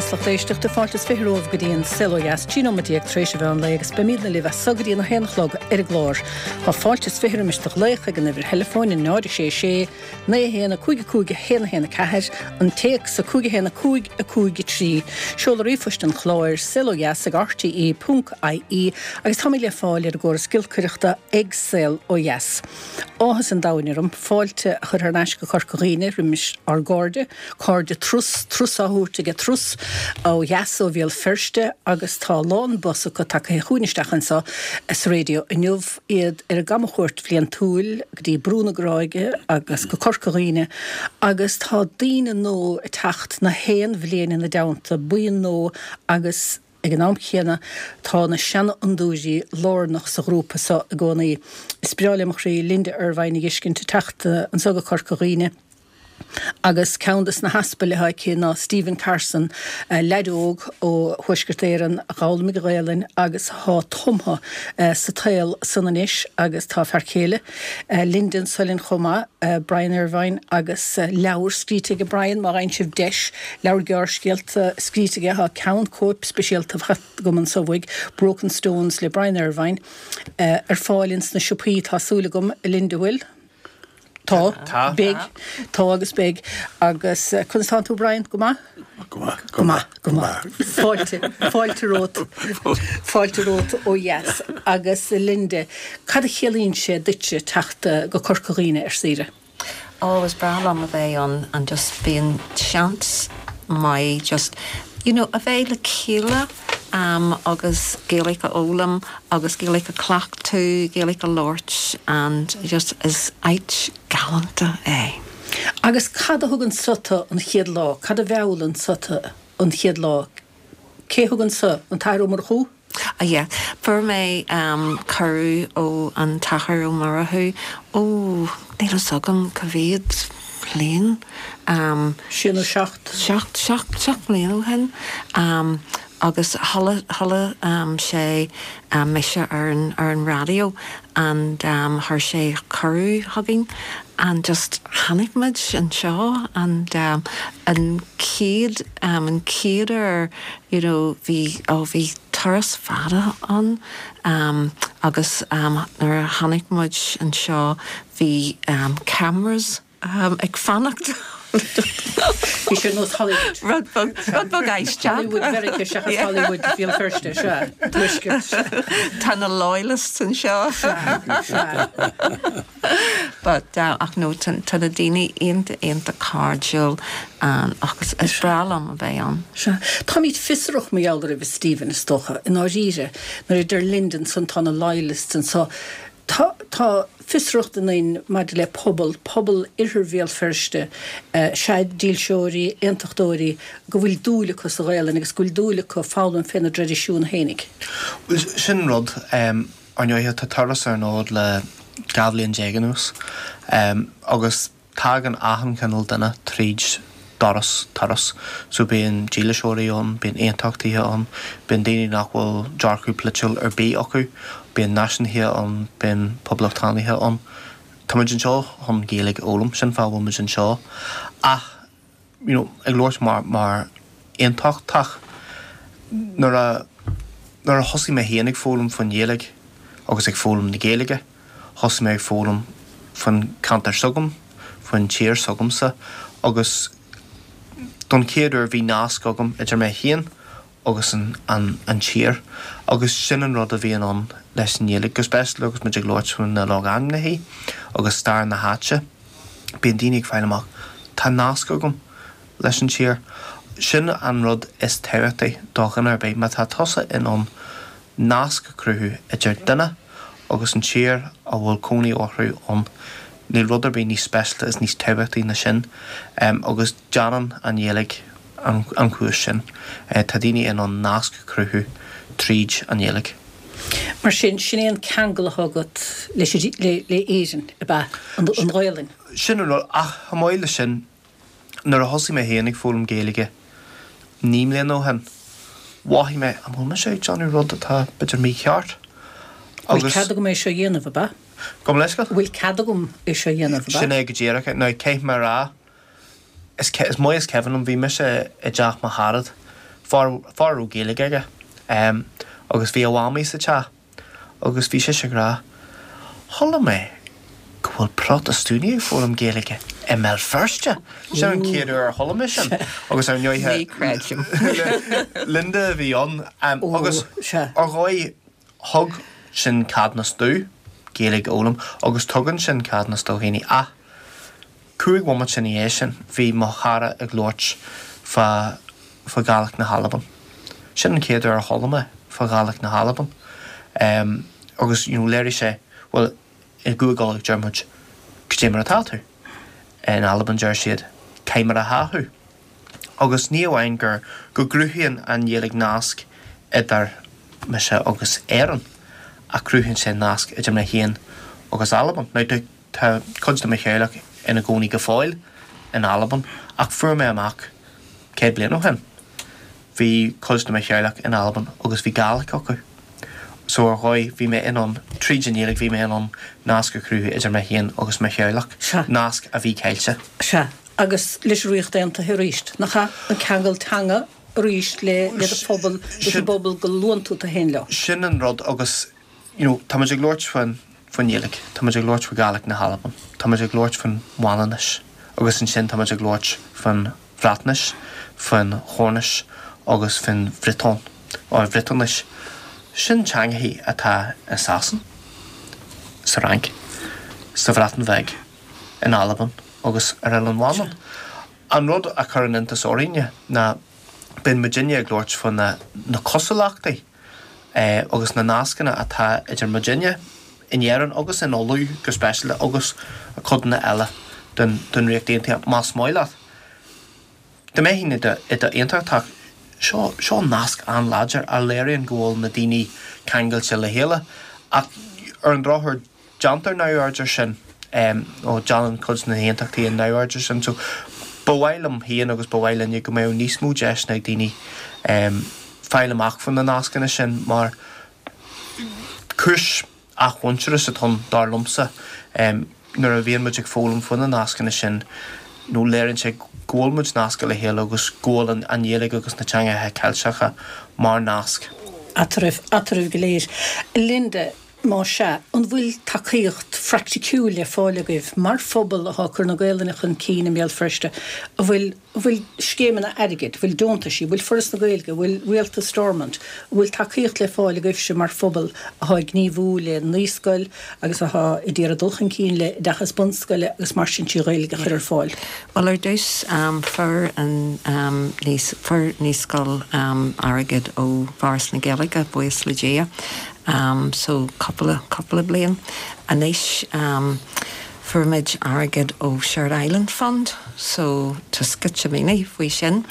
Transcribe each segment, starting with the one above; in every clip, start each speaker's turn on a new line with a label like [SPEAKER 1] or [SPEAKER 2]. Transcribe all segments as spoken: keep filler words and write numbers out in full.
[SPEAKER 1] Dheas, lucht éisteachta, fáilte is fiche romhaibh go dtí an Saol Ó Dheas, trí nóiméad déag tar éis an mheán lae agus beimidne libh as so go dtí an haon a chlog ar an gclár. Tá fáilte is fiche roimis do ghlaoch ag an uimhir theileafóin a náid a sé sé naoi a haon a cúig a cúig a haon a haon a ceathair, an téacs a cúig a haon a cúig a cúig a trí, seoladh ríomhphoist an chláir, saol ó dheas ag R T E ponc I E agus táimid le fáil ar an gcóras giolcaireachta ag Saol Ó Dheas. Áthas an domhain orm fáilte a chur thar n-ais go Corca Dhuibhne roimis ár gcairde, cairde Trus, Trus á thabhairt aige Trus ó dheas ó Bhéal Feirste agus tá lán bus acu tagtha chugainn isteach anseo sa raidió inniu, iad ar a gcamchuairt bhliantúil go dtí Brú na Gráige agus go Corca Dhuibhne agus tá daoine nua ag teacht na haon bhliain ina dteannta, buíon nua, agus ag an am chéanna tá na seanfhondúirí lárnach sa ghrúpa seo i gcónaí. Is breá le mo chroí Linda Ervine a fheiscint ag teacht anseo go Corca Dhuibhne. Agus ceann des na haspail atá aici ná Stephen Carson, leaid óg ó Thuaisceart Éireann a d'fhoghlaim an Ghaelainn agus atá tumtha sa tsaol san anois agus tá fear céile Linda anso linn chomh maith, Brian Ervine, agus leabhar scríte aige Brian, má fhaigheann sibh deis, leabhar gearrscéalta scríte aige, tá ceann cóip speisialta agam anseo uaidh, Broken Stones le Brian Ervine, ar fáil ins na siopaí, tá súil agam, Linda, bhfuil? Tá.
[SPEAKER 2] Tá.
[SPEAKER 1] Beidh, tá agus beidh. Agus conas tánn tú, Brian, go maith?
[SPEAKER 2] Go maith.
[SPEAKER 1] Go maith, go maith. Fáilte, fáilte romhat, fáilte romhat ó dheas. Agus Linda, cad a chiallaíonn sé duitse teacht go Corca Dhuibhne ar saoire?
[SPEAKER 3] Oh, is breá liom a bheith ann and just bíonn seans maith just you know, a bheith le chéile um, agus Gaeilge a fhoghlaim agus Gaeilge a chleachtadh, Gaeilge a labhairt and just is áit galánta é.
[SPEAKER 1] Agus cad a thug anso tú an chéad lá, cad a mheall anso tú an chéad lá? Cé thug anso, an tAthair Ó Murchú?
[SPEAKER 3] Ah, yeah. Fuair mé um, cuireadh ó an tAthair Ó Murchú, ó níl fhios agam cá mhéad bliain. Um,
[SPEAKER 1] Sé nó seacht.
[SPEAKER 3] seacht seacht seacht mbliana ó shin um, agus chuala chuala um, sé um, mise ar an ar an raidió and um, chuir sé cuireadh chugainn and just tháinig muid anseo and um, an chéad um, an chéad uair you know, bhí ó bhí turas fada ann um, agus um, nuair a tháinig muid anseo bhí um, cameras um, ag fanacht.
[SPEAKER 1] Bhí sé nós Hollywood.
[SPEAKER 3] Rud beag rud beag aisteach.
[SPEAKER 1] Hollywood Mheiriceá seachas Hollywood Bhéal Feirste, sea, tuaisceart.
[SPEAKER 3] Tá na loyalists anseo. But uh, ach no, tá tá na daoine iontach iontach cairdiúil um, agus is breá liom a bheith ann.
[SPEAKER 1] Sea, táimid fiosrach mar gheall oraibh, Stephen, is dócha, i ndáiríre, nuair a deir Linda ansan tá na loyalists anseo. Tá tá fiosracht ionainn maidir le pobal, pobal Oirthear Bhéal Feirste, uh, sea, dílseoirí, aontachtóirí, go bhfuil dúil acu sa Ghaelainn agus go bhfuil dúil acu foghlaim féna dtraidisiún féinig.
[SPEAKER 2] Well, sin rud um, ar ndóighe tá Turas ar an fhód le dhá bhliain déag anuas um, agus tagann achan cineál duine tríd doras Turas, so bíonn dílseoirí ann, bíonn aontachtaithe ann, bíonn daoine nach bhfuil dearcadh polaitiúil ar bith acu, bíonn náisiúnaithe ann, bíonn poblachtánaithe ann. Táimid anseo chun Gaeilge a fhoghlaim, sin fáth a bhfuil muid anseo. Ach you know, ag labhairt mar mar aontachtach, nuair a nuair a thosaigh mé féin ag foghlaim faoin Ghaeilge agus ag foghlaim na Gaeilge, thosaigh mé ag foghlaim faoin ceantar s'agam, faoin tír s'agamsa agus don chéad uair bhí nasc agam idir mé féin agus an, an, an tír agus sin an rud a bhíonn ann leis an Ghaeilge, go speisialta agus muid ag labhairt faoi na logainmneacha agus stair na háite. Bíonn daoine ag fáil amach tá nasc agam leis an tír. Sin an rud is tábhachtaí do dhuine ar bith, má tá tusa in ann nasc a chruthú idir duine agus an tír a bhfuil cónaí orthu ann. Níl rud ar bith níos speisialta is níos tábhachtaí ná sin um, agus déanann an Ghaeilge an, an chúis sin. Uh, tá daoine in ann nasc a chruthú tríd an Ghaeilge.
[SPEAKER 1] Mar sin, sin é an ceangal atá agat leis le, le Éirinn, ab ea, an, an Ghaelainn.
[SPEAKER 2] Sin an rud, ach chomh maith leis sin, nuair a thosaigh mé féin ag foghlaim Gaeilge naoi mbliana ó shin, mhothaigh mé an bhfuil mise ag déanamh rud atá b'fhéidir mícheart.
[SPEAKER 1] Bhfuil cead agam é seo a dhéanamh, ab ea?
[SPEAKER 2] Gabh mo leithscéal?
[SPEAKER 1] Bhfuil cead agam é seo a dhéanamh, ab ea?
[SPEAKER 2] Sin é go díreach. Now caithfidh mé a rá, is, is maith is cuimhin liom, bhí mise i dteach mo charad Fear fear a raibh Gaeilge aige agus bhí a mhamaí sa teach agus bhí sise ag rá, Chuala mé go bhfuil Protastúnaigh ag foghlaim Gaeilge i mBéal Feirste! Sin an chéad uair a chuala mé sin agus ar ndóighe
[SPEAKER 3] Ní chreidim.
[SPEAKER 2] Linda a bhí ann agus ar dhóigh thug sin ceadúnas domh Gaeilge a fhoghlaim agus tugann sin ceadúnas do dhaoine ach cúig bhomaite ina dhiaidh sin bhí mo chara ag labhairt fá fá Ghàidhlig na hAlban. Sin an chéad uair a chuala mé fá Ghàidhlig na hAlban. Um, agus you know, léirigh sé well i gCúige Uladh deir muid Cad é mar atá tú. In Albain deir siad Caimar a tha thu. Agus ní amháin gur go gcruthaíonn an Ghaeilge nasc idir mise agus Éirinn ach cruthaíonn sé nasc idir mé féin agus Albain. Now tá cuid de mo theaghlach ina gcónaí go fóill in Albain ach fuair mé amach céad bliain ó shin. Bhí cuid de mo theaghlach in Albain agus bhí Gàidhlig acu. So ar dhóigh bhí mé in ann tríd an Ghaeilge bhí mé in ann nasc a chruthú idir mé féin agus mo theaghlach, nasc a bhí caillte.
[SPEAKER 1] Sea, agus leis an Ríocht Aontaithe arís, nach ea? An ceangal teanga arís le le do phobal, leis an bpobal go luann tú tú féin leo.
[SPEAKER 2] Sin an rud agus you know, tá muid ag labhairt faoin faoin Ghaeilge, tá muid ag labhairt faoi Ghàidhlig na hAlban, tá muid ag labhairt faoin Mhanainnis agus ansin tá muid ag labhairt faoin Bhreatnais, faoin Chornais agus faoin Bhriotón, or Bhriotáinis. Sin teangachaí atá i Sasain, sa Fhrainc, sa Bhreatain Bheag, in Albain agus ar Oileán Mhanann. An rud a chuireann iontas orainne ná bíonn muidinne ag labhairt faoi na na cosúlachtaí agus na nascanna atá idir muidinne in Éirinn agus in Ulaidh go speisialta agus codanna eile den den Ríocht Aontaithe más maith leat. Dá mbeifeá i do i do aontachtach seo seo nasc an-láidir a léiríonn go bhfuil na daoine ceangailte le chéile ach ar an drochuair déantar neamhaird air sin ó déanann cuid de na haontachtaithe neamhaird air sin so ba mhaith liom féin agus ba mhaith linne go mbeadh níos mó deiseanna ag daoine fáil amach faoi na nascanna sin mar cúis athmhuintearas atá ann dar liomsa nuair a bhíonn muid ag foghlaim faoi na nascanna sin nó léiríonn sé go bhfuil muid nasctha le chéile agus go bhfuil an an Ghaeilge agus na teangacha Ceilteacha mar nasc.
[SPEAKER 1] Eatarthu, eatarthu go léir. Linda, más ea, an bhfuil tacaíocht phraiticiúil le fáil agaibh mar phobal atá ag cur na Gaelainne chun cinn i mBéal Feirste? An bhfuil, an bhfuil scéimeanna airgid, an bhfuil deontaisí, an bhfuil Foras na Gaeilge, an bhfuil Rialtas Stormont, an bhfuil tacaíocht le fáil agaibhse mar phobal atá ag gníomhú le naíscoil agus atá ag iarraidh dul chun cinn le oideachas bunscoile agus mar sin trí Ghaeilge a chur ar fáil?
[SPEAKER 3] Bhuel ar dtús fuair an fuair naíscoil airgead ó Fhoras na Gaeilge, buíochas le Dia. um, so cúpla cúpla bliain. Anois um, fuair muid airgead ó Shared Island Fund, so tá sceitimíní faoi sin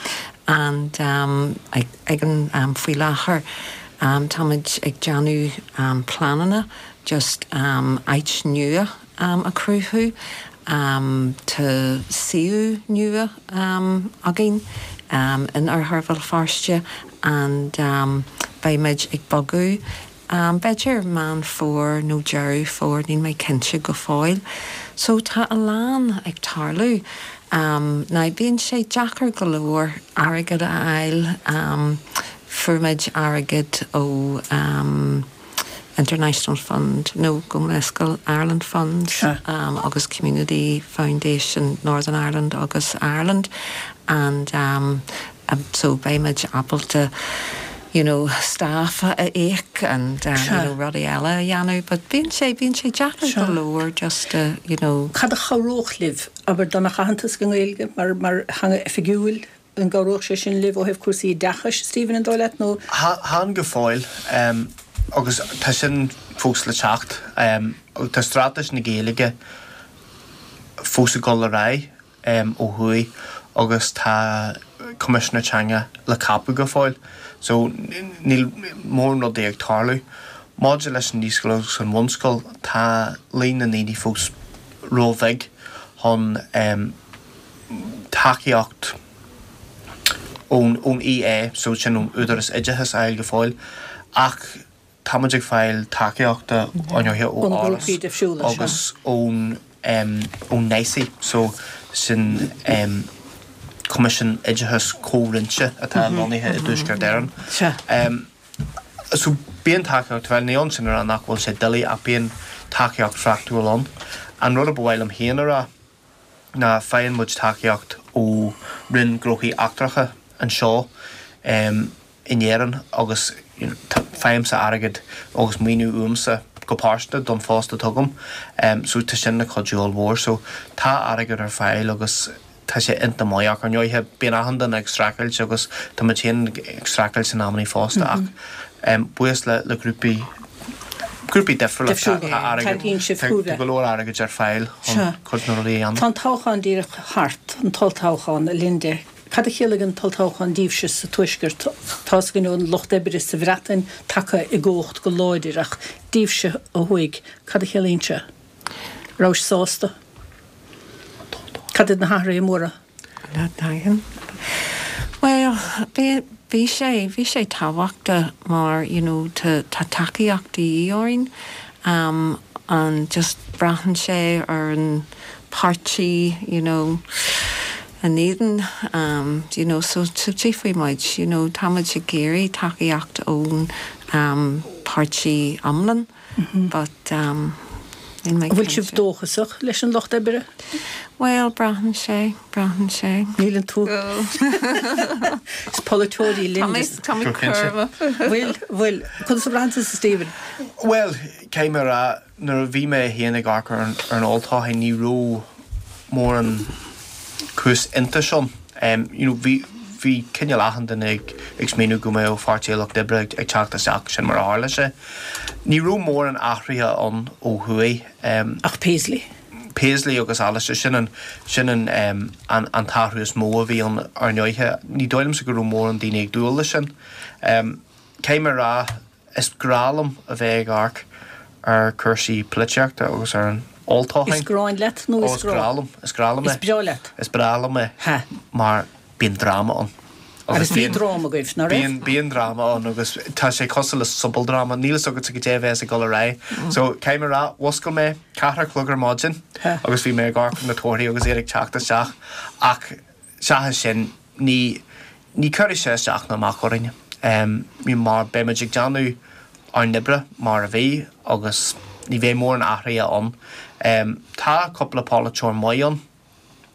[SPEAKER 3] and um, ag, ag an um, faoi láthair um, táimid ag déanamh um, pleananna just um, áit nua um, a chruthú. Um, tá suíomh nua um, againn um, in oirthear Bhéal Feirste and um, beimid ag bogadh um, b'fhéidir Meán Fómhair nó Deireadh Fómhair níl mé cinnte go fóill. So tá a lán ag tarlú. Um, ná bíonn sé deacair go leor airgead a fháil um, fuair muid airgead ó um, International Fund nó go Mescal Ireland Funds
[SPEAKER 1] Sure.
[SPEAKER 3] um, agus Community Foundation Northern Ireland agus Ireland and um, um, so beimid ábalta you know, staff a íoc and um,
[SPEAKER 1] Sure.
[SPEAKER 3] you know, rudaí eile a dhéanamh, but bíonn sé bíonn sé deacair
[SPEAKER 1] Sure.
[SPEAKER 3] go leor just uh, you know,
[SPEAKER 1] Cad a chabhródh libh abair dá mbeadh aitheantas don Ghaeilge mar mar theanga oifigiúil an gcabhródh sé sin libh ó thaobh cúrsaí oideachais Stephen an dóigh leat nó
[SPEAKER 2] Chan go fóill um, agus tá sin fós le teacht um, tá straitéis na Gaeilge fós ag dul ar aghaidh um, ó thuaidh agus tá Coimisinéir Teanga le ceapadh go fóill, so níl mórán rudaí ag tarlú. Maidir leis an naíscoil agus an bhunscoil tá líon na ndaoine fós róbheag chun um, tacaíocht ón ón EA so sin ón Údarás Oideachais a fháil go fóill ach táimid ag fáil tacaíochta ó
[SPEAKER 1] Ó na grúpaí difriúla,
[SPEAKER 2] agus ón um, ón NICE so sin um, Coimisiún Oideachais Comhroinnte atá lonnaithe i dTuaisceart Éireann.
[SPEAKER 1] Sea.
[SPEAKER 2] So bíonn tacaíocht, bhuel, ní ionann sin a rá nach bhfuil sé doiligh ach bíonn tacaíocht phraiticiúil ann. An rud a ba mhaith liom féin a rá ná faigheann muid tacaíocht ó Roinn Gnóthaí Eachtracha anseo in Éirinn agus faighimse airgead agus maoiniú uaimse go pearsanta don phost atá agam. So tá sin ina chuidiú ollmhór. So tá airgead ar fáil agus tá sé iontach maith ach ar ndóighe bíonn achan duine ag streachailt agus tá muid féin ag streachailt in amannaí fosta ach buíochas le le grúpaí grúpaí difriúla tá tá airgead tá go leor airgid ar fáil chun cuid na rudaí a dhéanamh.
[SPEAKER 1] Tá an toghchán díreach thart, an t-olltoghchán, a Linda. Cad a chiallaigh an t-olltoghchán daoibhse sa Tuaisceart? Tá's againn an Lucht Oibre sa Bhreatain tagtha i gcumhacht go láidir ach daoibhse ó thuaidh, cad a chiallaíonn sé? Rabhais sásta? Cad iad na hathruithe móra?
[SPEAKER 3] Bhuel, bhí, bhí sé, bhí sé tábhachtach mar, you know, tá, tá tacaíocht de dhíth orainn um, and just braitheann sé ar an páirtí, you know, in éadan, um, you know, so, so tchífidh muid, you know, tá muid ag iarraidh tacaíocht ón um, páirtí iomlán, but um, níl mé
[SPEAKER 1] An bhfuil sibh
[SPEAKER 3] cinnte.
[SPEAKER 1] dóchasach leis an Lucht Oibre?
[SPEAKER 3] Bhuel, braitheann sé, braitheann sé.
[SPEAKER 1] Níleann tú. Is polaiteoirí
[SPEAKER 3] Tá mé
[SPEAKER 1] linn.
[SPEAKER 3] tá mé
[SPEAKER 2] Go cinnte.
[SPEAKER 3] cúramach.
[SPEAKER 1] Bhfuil, bhfuil, conas a bhraitheann tusa, Stephen?
[SPEAKER 2] Bhuel, caithfidh mé a rá, nuair a bhí mé féin ag amharc ar an, ar an olltoghchán ní raibh mórán cúis iontais ann. Um, you know, bhí bhí cineál achan duine ag ag smaoineamh go mbeadh Páirtí an Lucht Oibre ag, ag teacht isteach sin mar a tharla sé. Ní raibh mórán athruithe ann ó thuaidh. Um,
[SPEAKER 1] Ach Paisley.
[SPEAKER 2] Paisley agus Allister sin an sin an, um, an, an t-athrú is mó a bhí ann ar ndóighe. Ní dóigh liomsa go raibh mórán daoine ag dúil leis sin. Um, Caithfidh mé a rá is grá liom a bheith ag amharc ar chúrsaí polaitíochta agus ar an olltoghchán.
[SPEAKER 1] Is gráin leat nó
[SPEAKER 2] Ó,
[SPEAKER 1] is
[SPEAKER 2] is grá
[SPEAKER 1] grá?
[SPEAKER 2] liom, is grá liom
[SPEAKER 1] Is
[SPEAKER 2] é.
[SPEAKER 1] breá leat.
[SPEAKER 2] Is breá liom é
[SPEAKER 1] Ha.
[SPEAKER 2] mar bíonn dráma ann.
[SPEAKER 1] Agus bhí
[SPEAKER 2] bíonn-
[SPEAKER 1] dráma agaibh, ná raibh?
[SPEAKER 2] Bíonn bíonn dráma ann agus tá sé cosúil le sobaldráma, níl a fhios agat goidé a bheas ag dul ar aghaidh. So caithfidh mé a rá, mhúscail mé ceathair a chlog ar maidin
[SPEAKER 1] Ha.
[SPEAKER 2] agus bhí mé ag amharc ar na torthaí agus iad ag teacht isteach ach seachas sin ní ní chuirfidh sé isteach ná amach orainne. Um, mar beimid ag déanamh ár n-oibre mar a bhí agus ní bheidh mórán athruithe ann. Um, tá cúpla polaiteoir maith ann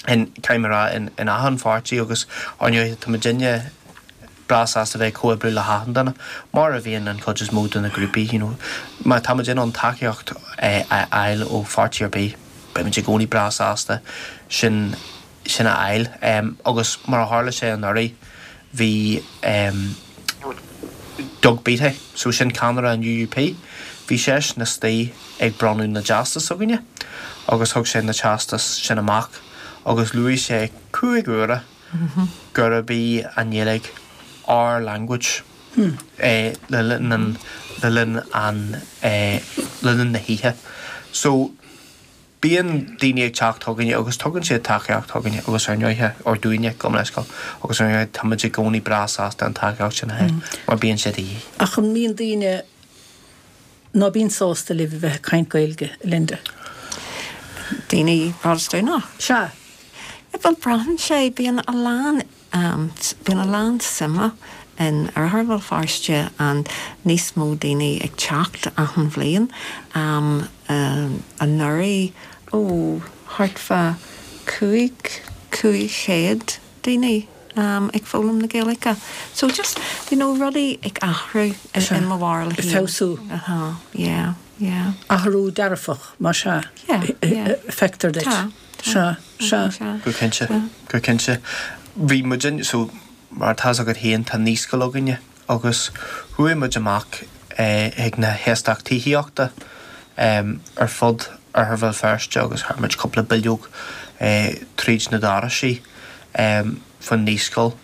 [SPEAKER 2] in caimera in, in achan pháirtí agus ar ndóigh tá muidinne breá sásta bheith ag comhoibriú le hachan duine mar a bhíonn an chuid is mó de na grúpaí you know, má tá muid in ann tacaíocht eh, a fháil ó pháirtí ar bith beimid i gcónaí breá sásta sin sin a fháil um, agus mar a tharla sé anuraidh bhí um, Doug Beattie, so sin ceannaire an U U P, bhí seisean istigh ag bronnadh na dteastas againne agus thug sé na teastas sin amach agus luaigh sé cúig huaire gurb í an Ghaeilge our language eh, le linn an le linn an eh, le linn na hoíche. So bíonn daoine ag teacht chugainne agus tugann siad tacaíocht chugainne agus ar ndóighe or dúinne gabh mo leithscéal agus ar ndóighe tá muid i gcónaí breá sásta an tacaíocht sin a fháil mar bíonn sé de dhíth.
[SPEAKER 1] Ach an mbíonn daoine ná bíonn sásta libh a bheith ag caint Gaeilge, Linda.
[SPEAKER 3] Daoine Protastúnach.
[SPEAKER 1] Sea.
[SPEAKER 3] Bhuel braitheann sé bíonn a lán um, bíonn a lán suime in oirthear Bhéal Feirste and níos mó daoine ag teacht achan bhliain um, um, anuraidh ó thart fá cúig cúig chéad daoine um, ag foghlaim na Gaeilge. So just you know rudaí ag athrú in,
[SPEAKER 1] Sea.
[SPEAKER 3] in mo bharúil
[SPEAKER 1] Ag
[SPEAKER 3] féin.
[SPEAKER 1] feabhsú.
[SPEAKER 3] Uh-huh, yeah, yeah.
[SPEAKER 1] Athrú dearfach mar sea.
[SPEAKER 3] Yeah, yeah.
[SPEAKER 1] Feictear duit.
[SPEAKER 3] Tá,
[SPEAKER 1] Sea, sea.
[SPEAKER 3] Sea.
[SPEAKER 2] Go cinnte go cinnte. Bhí muid so mar tá agat féin tá naíscoil againne agus chuaigh muid amach eh, ag na heastáit tithíochta um, ar fud oirthear Bhéal Feirste agus chuir muid cúpla bileog eh, tríd na doirse um, fan naíscoil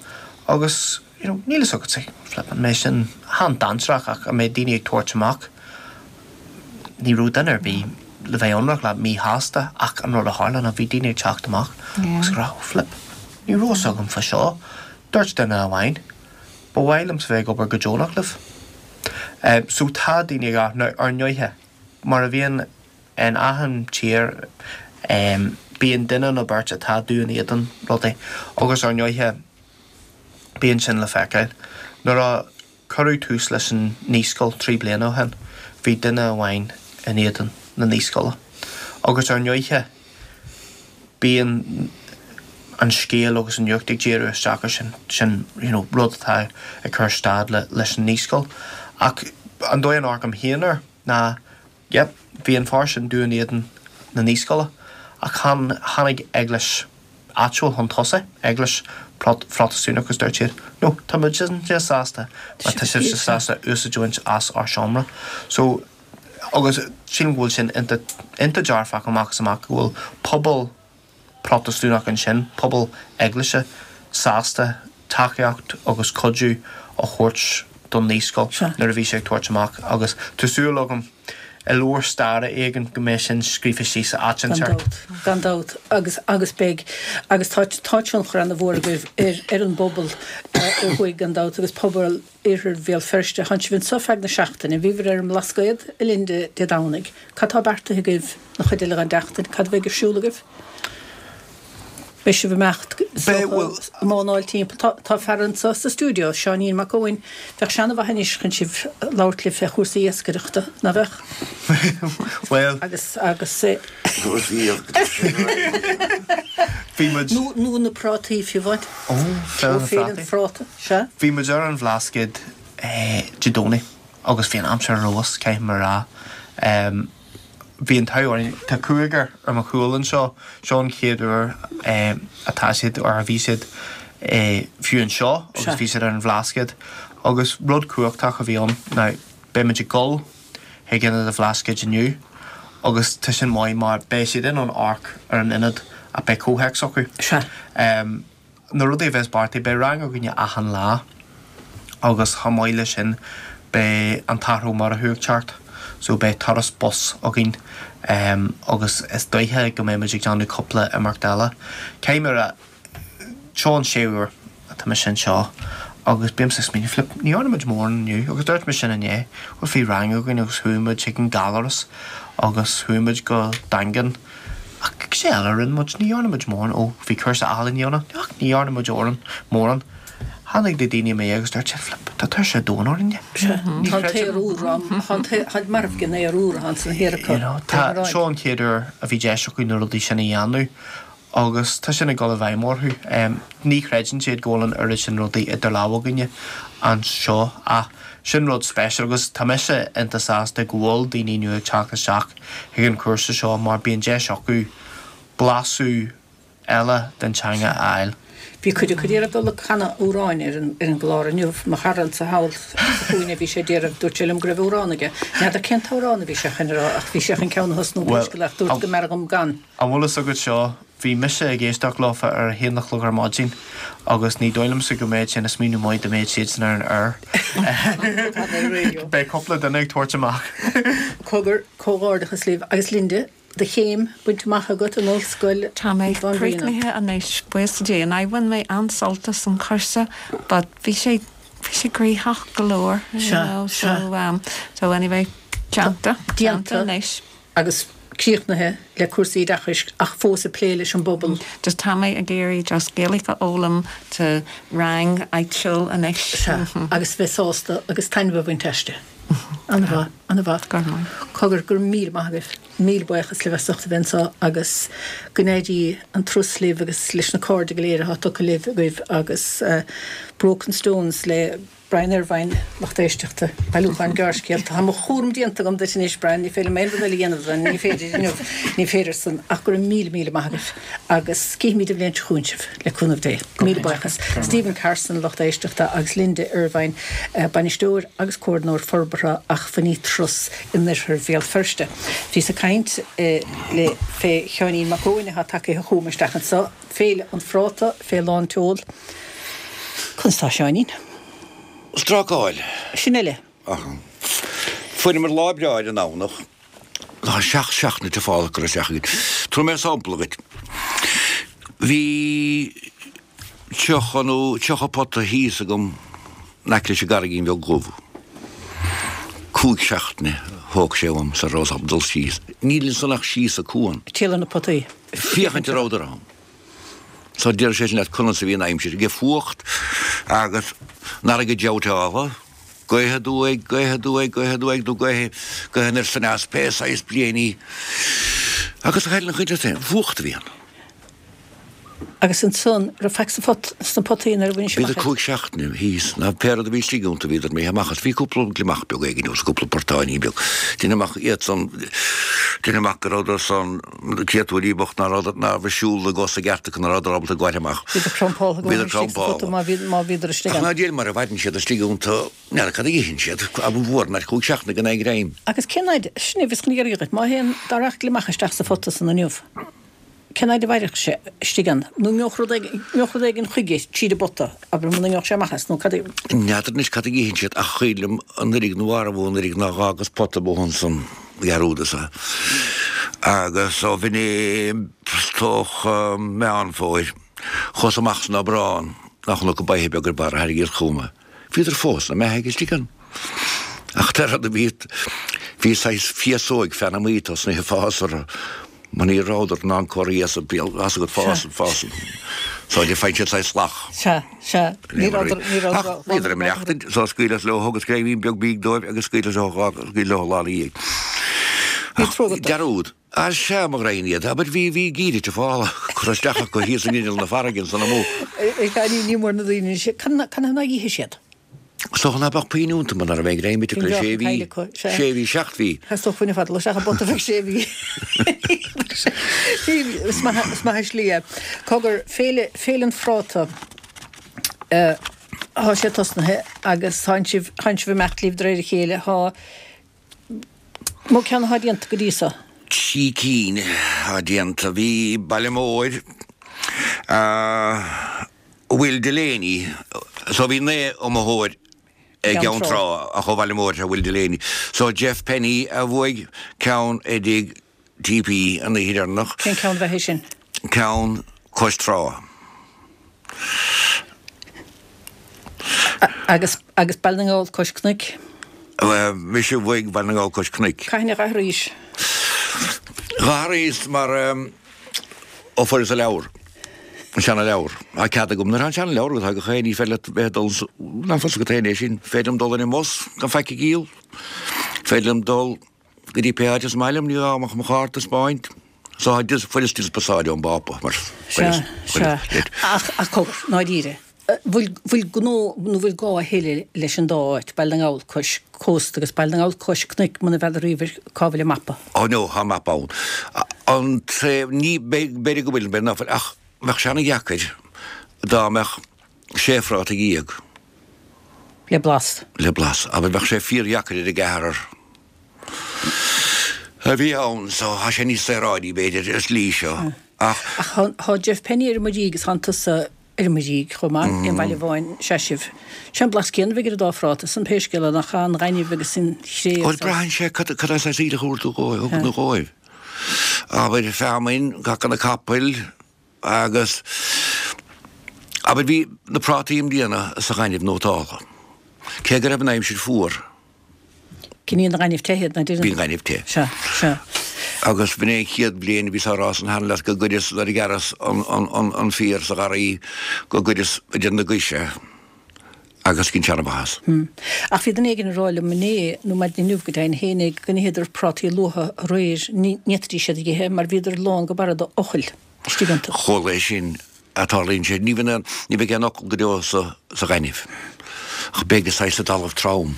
[SPEAKER 2] agus you know, níl a fhios agat flip an mé sin han-dainséarach ach an mbeidh daoine ag tabhairt amach ní raibh duine ar bith le bheith ionraic leat míshásta ach an rud a tharla ná bhí daoine ag teacht amach
[SPEAKER 3] Yeah.
[SPEAKER 2] agus rá flip ní raibh a fhios agam fá seo dúirt duine amháin ba mhaith liom bheith ag obair go deonach libh. Um, so tá daoine ag ar ndóighe mar a bhíonn in achan tír Bíonn duine nó beirt atá dubh in éadan rudaí agus ar ndóighe bíonn sin le feiceáil. Nuair a cuireadh tús leis an naíscoil trí bliana ó shin, bhí duine amháin in éadan na naíscoile. Agus ar ndóighe bíonn an scéal agus an nuacht ag díriú isteach ar sin, sin you know, rud atá ag cur stad le, leis an naíscoil. Ach an dóigh a n-amharcaim féin air ná, yep, bhí an fear sin dubh in éadan na naíscoile, ach tháinig eaglais áitiúil chun tosaigh, eaglais Phrotastúnach agus dúirt siad, no, tá muidne sásta má tá sibhse sásta úsáid a bhaint as ár seomra. So, agus sílim go bhfuil sin iontach dearfach amach is amach go bhfuil pobal Protastúnach ansin, pobal eaglaise, sásta tacaíocht agus cuidiú a thabhairt don naíscoil nuair a bhí sé ag tabhairt amach agus tá súil agam i leabhar staire éigin go mbeidh sin scríofa síos áit
[SPEAKER 1] inteacht. Gan dabht, agus agus beidh agus tá tá tionchar ana-mhór agaibh ar ar an bpobal ó thuaidh gan dabht agus pobal Iarthar Bhéal Feirste. Tánn sibh anseo feadh na seachtaine, bhíobhair ar an mBlascaod a Linda Dé Domhnaigh. Cad tá beartaithe agaibh an chuid eile den tseachtain? Cad a bheidh ar siúl agaibh? Beidh sibh ag imeacht is dócha ag mánáil timpeall. Tá tá fear anseo sa stiúideo, Seáinín Mac Eoin. Bheadh sé ana-mhaith anois chun sibh labhairt libh fé chúrsaí iascaireachta, ná bheadh?
[SPEAKER 2] Bhuel.
[SPEAKER 1] Agus agus.
[SPEAKER 4] Cúrsaí iascaireachta.
[SPEAKER 2] Bhí muid.
[SPEAKER 1] Nó nó na prátaí fiú amháin.
[SPEAKER 2] Ó, Féile na
[SPEAKER 1] Féile an Phráta, sea.
[SPEAKER 2] Bhí muid ar an Bhlascaod Dé Domhnaigh agus bhí an aimsir ar fheabhas, caithfidh mé a rá. Bhí an t-ádh orainn, tá cúigear ar mo chúl anseo, seo an chéad uair atá siad, or a bhí siad fiú anseo agus bhí siad ar an Bhlascaod agus rud cumhachtach a bhí ann. Now, beidh muid ag dul chuig Ionad an Bhlascaoid inniu agus tá sin maith mar beidh siad in ann amharc ar an ionad ach beidh comhthéacs acu. Na rudaí a bheas beartaithe, beidh rang againne achan lá agus chomh maith leis sin beidh an tAthair Ó Murchú ag teacht so beidh turas bus againn agus is dóiche go mbeidh muid ag déanamh cúpla imeacht eile. Caithfidh mé a rá, seo an séú uair atá mise anseo agus bímse ag smaoineamh, flip, ní dhearna muid mórán inniu agus dúirt mé sin inné, bhuel bhí rang againn agus chuaigh muid chuig an Ghaláras agus chuaigh muid go Daingean ach cad é eile a rinne muid, ní dhearna muid mórán, ó bhí cúrsa ealaíne ann ach ní dhearna muid mórán. Tháinig na daoine i mo dhiaidh agus dúirt siad, flip, tá tuirse an domhain orainne.
[SPEAKER 1] Sea, tá an t-aer úr ann, tá an t-aer, táid marbh den aer úr atá san thiar acu.
[SPEAKER 2] You know, tá, seo an chéad uair a bhí deis acu na rudaí sin a dhéanamh agus tá sin ag dul i bhfeidhm orthu. Ní chreideann siad go bhfuil an oiread sin rudaí idir lámha againne anseo ach sin rud speisialta agus tá mise iontach sásta go bhfuil daoine nua ag teacht isteach chuig an chúrsa seo mar bíonn deis acu blaiseadh eile den teanga a fháil.
[SPEAKER 1] Bhí cuid acu ag iarraidh dul ag canadh amhráin ar an ar an gclár inniu. Mo chara anso thall sa chúinne bhí sé ag iarraidh, dúirt sé liom go raibh amhrán aige. N'fheadar cén t-amhrán a bhí sé chun a rá ach bhí sé chun ceann a thosnú
[SPEAKER 2] Bhuel,
[SPEAKER 1] pé scéal é ach dúirt go mb'fhearr dhom gan.
[SPEAKER 2] An bhfuil fhios agat seo, bhí mise ag éisteacht leofa ar a haon a chlog ar maidin agus ní dóigh liomsa go mbeadh sé ina smaoineamh maith dá mbeadh siadsan ar an aer. Beidh cúpla duine ag tabhairt amach.
[SPEAKER 1] Cogar, comhghairdeachas libh. Agus Linda, do chéim bainte amach agat in Ollscoil
[SPEAKER 3] Tá mé
[SPEAKER 1] na Banríona.
[SPEAKER 3] críochnaithe anois, buíochas le Dia. Now bhain mé an-sult as an chúrsa but bhí sé, bhí sé gnoitheach go leor, you
[SPEAKER 1] Sea,
[SPEAKER 3] know,
[SPEAKER 1] sea.
[SPEAKER 3] so um, so anyway, déanta, déanta
[SPEAKER 1] Déanta
[SPEAKER 3] anois.
[SPEAKER 1] agus críochnaithe le cúrsaí oideachais ach fós ag plé leis an bpobal.
[SPEAKER 3] Just tá mé ag iarraidh just Gaeilge a fhoghlaim do rang áitiúil anois.
[SPEAKER 1] Sea, agus bheith sásta agus taitneamh a bhaint aisti. An-mhaith, an-mhaith.
[SPEAKER 3] Go raibh maith.
[SPEAKER 1] Cogar, go raibh míle maith agaibh. Míle buíochas libh as ucht a bheith anseo agus go n-éirí an turas libh agus leis na cairde go léir atá tugtha libh agaibh agus Broken Stones le Brian Irvine, lucht éisteachta, bailiúchán gearrscéalta. Tá mo chúram déanta agam duit anois, Brian, ní féidir liom aon rud eile a dhéanamh, ní féidir inniu, ní féidir san, ach go raibh míle míle maith agaibh agus cífimid an bhliain seo chugainn sibh, le cúnamh Dé. Míle buíochas. Stephen Carson, lucht éisteachta, agus Linda Ervine, bainisteoir agus comhordaitheoir forbartha acmhainní Turas in oirthear Bhéal Feirste. Bhíos ag caint le fé Sheáinín Mac Eoin atá tagtha chugam isteach anseo, Féile an Phráta fé lán tseoil. Conas tá Seáinín?
[SPEAKER 4] Strácáil.
[SPEAKER 1] Sin eile.
[SPEAKER 4] Fuaireamar lá breá ar an nDomhnach. Tá seacht seachtaine de fál ag cur isteach againn. Tabharfaidh mé sampla dhuit. Bhí tríocha nó tríocha pota thíos agam in aice leis an gCarraigín Bheag Dhubh. Cúig seachtaine Thóg sé uaim sar rabhas ábalta dul síos. Níl ansan ach síos an cuan.
[SPEAKER 1] Ag triall ar na potaí.
[SPEAKER 4] Féachaint an rabhadar ann. So deir sé sin leat conas a bhí an aimsir. Ag fuacht agus an fharraige jabhtála, gaoth aduaidh, gaoth aduaidh, gaoth aduaidh nó gaoth, gaoth anoir 's aneas, pé saghas bliain í. Agus a chailleann an chuid leat féin, fuacht a bhí ann.
[SPEAKER 1] Agus ansan, raibh faic sa phot, sna potaí nuair a bhain sibh
[SPEAKER 4] Bhíodar
[SPEAKER 1] amach iad?
[SPEAKER 4] cúig seachtaine thíos, ná pé rud a bhí istigh iontu, bhíodar imithe amach as. Bhí cúpla gliomach beag éigin agus cúpla portáinín beag. Déanaim amach iad san, déanaim amach go rabhadar san, créatúirí bocht ná rabhadar, ná raibh siúl na gcos i gceart acu, ná rabhadar ábalta gabháil amach.
[SPEAKER 1] Bhíodar crampáltha go maith
[SPEAKER 4] Bhíodar
[SPEAKER 1] istigh sa phota
[SPEAKER 4] crampáltha.
[SPEAKER 1] má bhí, má bhíodar istigh
[SPEAKER 4] Ach
[SPEAKER 1] ann.
[SPEAKER 4] ná déan mar a mhaireann siad istigh iontu, n'fheadar cad a itheann siad, ab an bhfuair an áit cúig seachtaine gan aon ghreim.
[SPEAKER 1] Agus cén fhaid, sin é a bhíos chun iarraidh dhuit, má théann, dá rachadh gliomach isteach sa phota san inniu, Cén fhaid a mhairfeadh sé istigh ann? Nó an ngeobhadh rud éigin, ngeobhadh rud éigin chuige tríd an bpota, abair, muna ngeobhadh sé amach as, nó cad é?
[SPEAKER 4] N'fheadar anois cad a itheann siad ach chuimhin liom anuraidh nó arbh anuraidh ná dh'fhágas pota amuigh ansan, dhearúdas é. Agus ó bh'in é is dócha Meán Fómhair, chuas amach san Aibreán ná chonac an baithe beag ar barr a tharraingíos chugam é. Bhíodar fós ina mbeathaidh istigh ann. Ach de rud a bhí, bhí saghas féasóig feanamaí tosnaithe ag fás orthu. Mar ní rabhadar in ann cur thíos a bhí fhios agat fásann, fásann. So de faigheann siad saghas shlach.
[SPEAKER 1] Sea, sea. Ní rabhadar, ní rabhadar
[SPEAKER 4] Ach bhíodar ag maireachtaint, so scaoileas leo agus greimín beag bídh dóibh agus scaoileas leo dhá, scaoileas leo lá ina dhiaidh.
[SPEAKER 1] Bhí
[SPEAKER 4] Ach
[SPEAKER 1] trua agat dóibh.
[SPEAKER 4] dearúd. Á sea, mo ghraidhin iad. Abair bhí, bhí geimhreadh te folamh curtha isteach acu thíos in inneall na farraige ansan amuigh.
[SPEAKER 1] Sea, ní, ní mór na daoine sin. Cad, cad ná ithe siad?
[SPEAKER 4] Is dócha ná beadh puinn iontu muna raibh aon ghreim acu
[SPEAKER 1] Bhí
[SPEAKER 4] le
[SPEAKER 1] an
[SPEAKER 4] sé
[SPEAKER 1] dreach
[SPEAKER 4] mhí,
[SPEAKER 1] caillte acu, sea.
[SPEAKER 4] sé mhí, seacht mhí.
[SPEAKER 1] Theastódh fuinneamh fada isteach i bpota bheadh sé mhí. Sé mhí, is maith, is maith an slí é. Cogar, Féile, Féile an Phráta, thá sé tosnaithe agus thánn sibh, thánn sibh ag imeacht libh de réir a chéile, thá, mó ceann athá déanta go dtí so?
[SPEAKER 4] Trí cinn athá déanta. Bhí Baile Móir, Will Delaney, so bhí naoi iomaitheoir i gCeann Trá ach ó Bhaile Móir Will Delaney. So Jeff Penny a bhuaigh ceann i dTigh TP an oíche dheireanach.
[SPEAKER 1] Cén ceann a bheadh é sin?
[SPEAKER 4] Ceann cois trá.
[SPEAKER 1] Agus agus Baile na nGall cois cnoic?
[SPEAKER 4] Mise a bhuaigh Baile na nGall cois cnoic.
[SPEAKER 1] Cathain a dh'athraís?
[SPEAKER 4] Dh'athraíos mar ó fuaireas an leabhar. An seana-leabhar. Tá cead agam. Nuair atá an seana-leabhar agat, tá gach aon ní féidir leat bheith ag dul, ná fios agat féin é sin. Féidir liom dul ar an mbus gan faic a dhíol. Féidir liom dul go dtí pé áit is maith liom, ní gá ach mo chárta a 'speáint. So tá dis, fuaireas dispeasáid ón bPápa mar
[SPEAKER 1] Sea,
[SPEAKER 4] fuaireas,
[SPEAKER 1] sea.
[SPEAKER 4] fuaireas,
[SPEAKER 1] Ach, ach cogar, i ndáiríre, bhfuil, bhfuil gnó nó bhfuil gá a thuilleadh leis an dá áit, Baile na nGall cois cósta agus Baile na nGall cois cnoic muna bhfeadar riamh cá bhfuil an mapa?
[SPEAKER 4] Ó no, tá mapa ann. An taobh, ní, b'fhéidir go bhfuil, b'fhéidir nach bhfuil, ach bheadh sé ana-dheacair dá mbeadh sé phráta dhéag.
[SPEAKER 1] Le blas.
[SPEAKER 4] Le blas. Abair, bheadh sé fíordheacair ar an gceathrar a bhí ann, so tá sé níos saoráidí, b'fhéidir, ar shlí seo, ach.
[SPEAKER 1] Ach tá Jeff Penny ar an Muirígh agus tánn tusa ar an Muirígh chomh maith, aon bhaile amháin sea sibh. Sé an blas céanna a bheidh ar an dá phráta san pé scéal é, nach ea, an gaineamh agus an chré
[SPEAKER 4] Bhuel,
[SPEAKER 1] agus.
[SPEAKER 4] braitheann sé cad cad é saghas aoileach a thabharfaidh tú dhóibh, a thugann tú dhóibh. Abair, feamainn, caca na capaill agus, abair, bhí na prátaí i mbliana sa ghaineamh nótáltha. Cé go raibh an aimsir fuar.
[SPEAKER 1] Coinníonn an gaineamh te iad, ná
[SPEAKER 4] Bhí an gaineamh te.
[SPEAKER 1] Sea, sea.
[SPEAKER 4] Agus b'in é an chéad bhliain a bhíos á rá san cheana leat go gcuireas, nuair a ghearras an, an, an, an féar sa gharraí, go gcuireas idir na gais é agus dhein sé an-mhaitheas.
[SPEAKER 1] Ach bhí duine éigin ag rá liom inné, nó maidin inniu go deimhin féin é, go n-itheadar prátaí luatha aréir, ní fhéadfaidís iad a dh'ithe mar bhíodar lán go barra d'fhocail istigh iontu.
[SPEAKER 4] Chuala é sin. a tarlaíonn sé. Ní bheidh aon, ní bheidh aon fhocal go deo sa, sa ghaineamh. Ach beidh saghas sa dtalamh trom.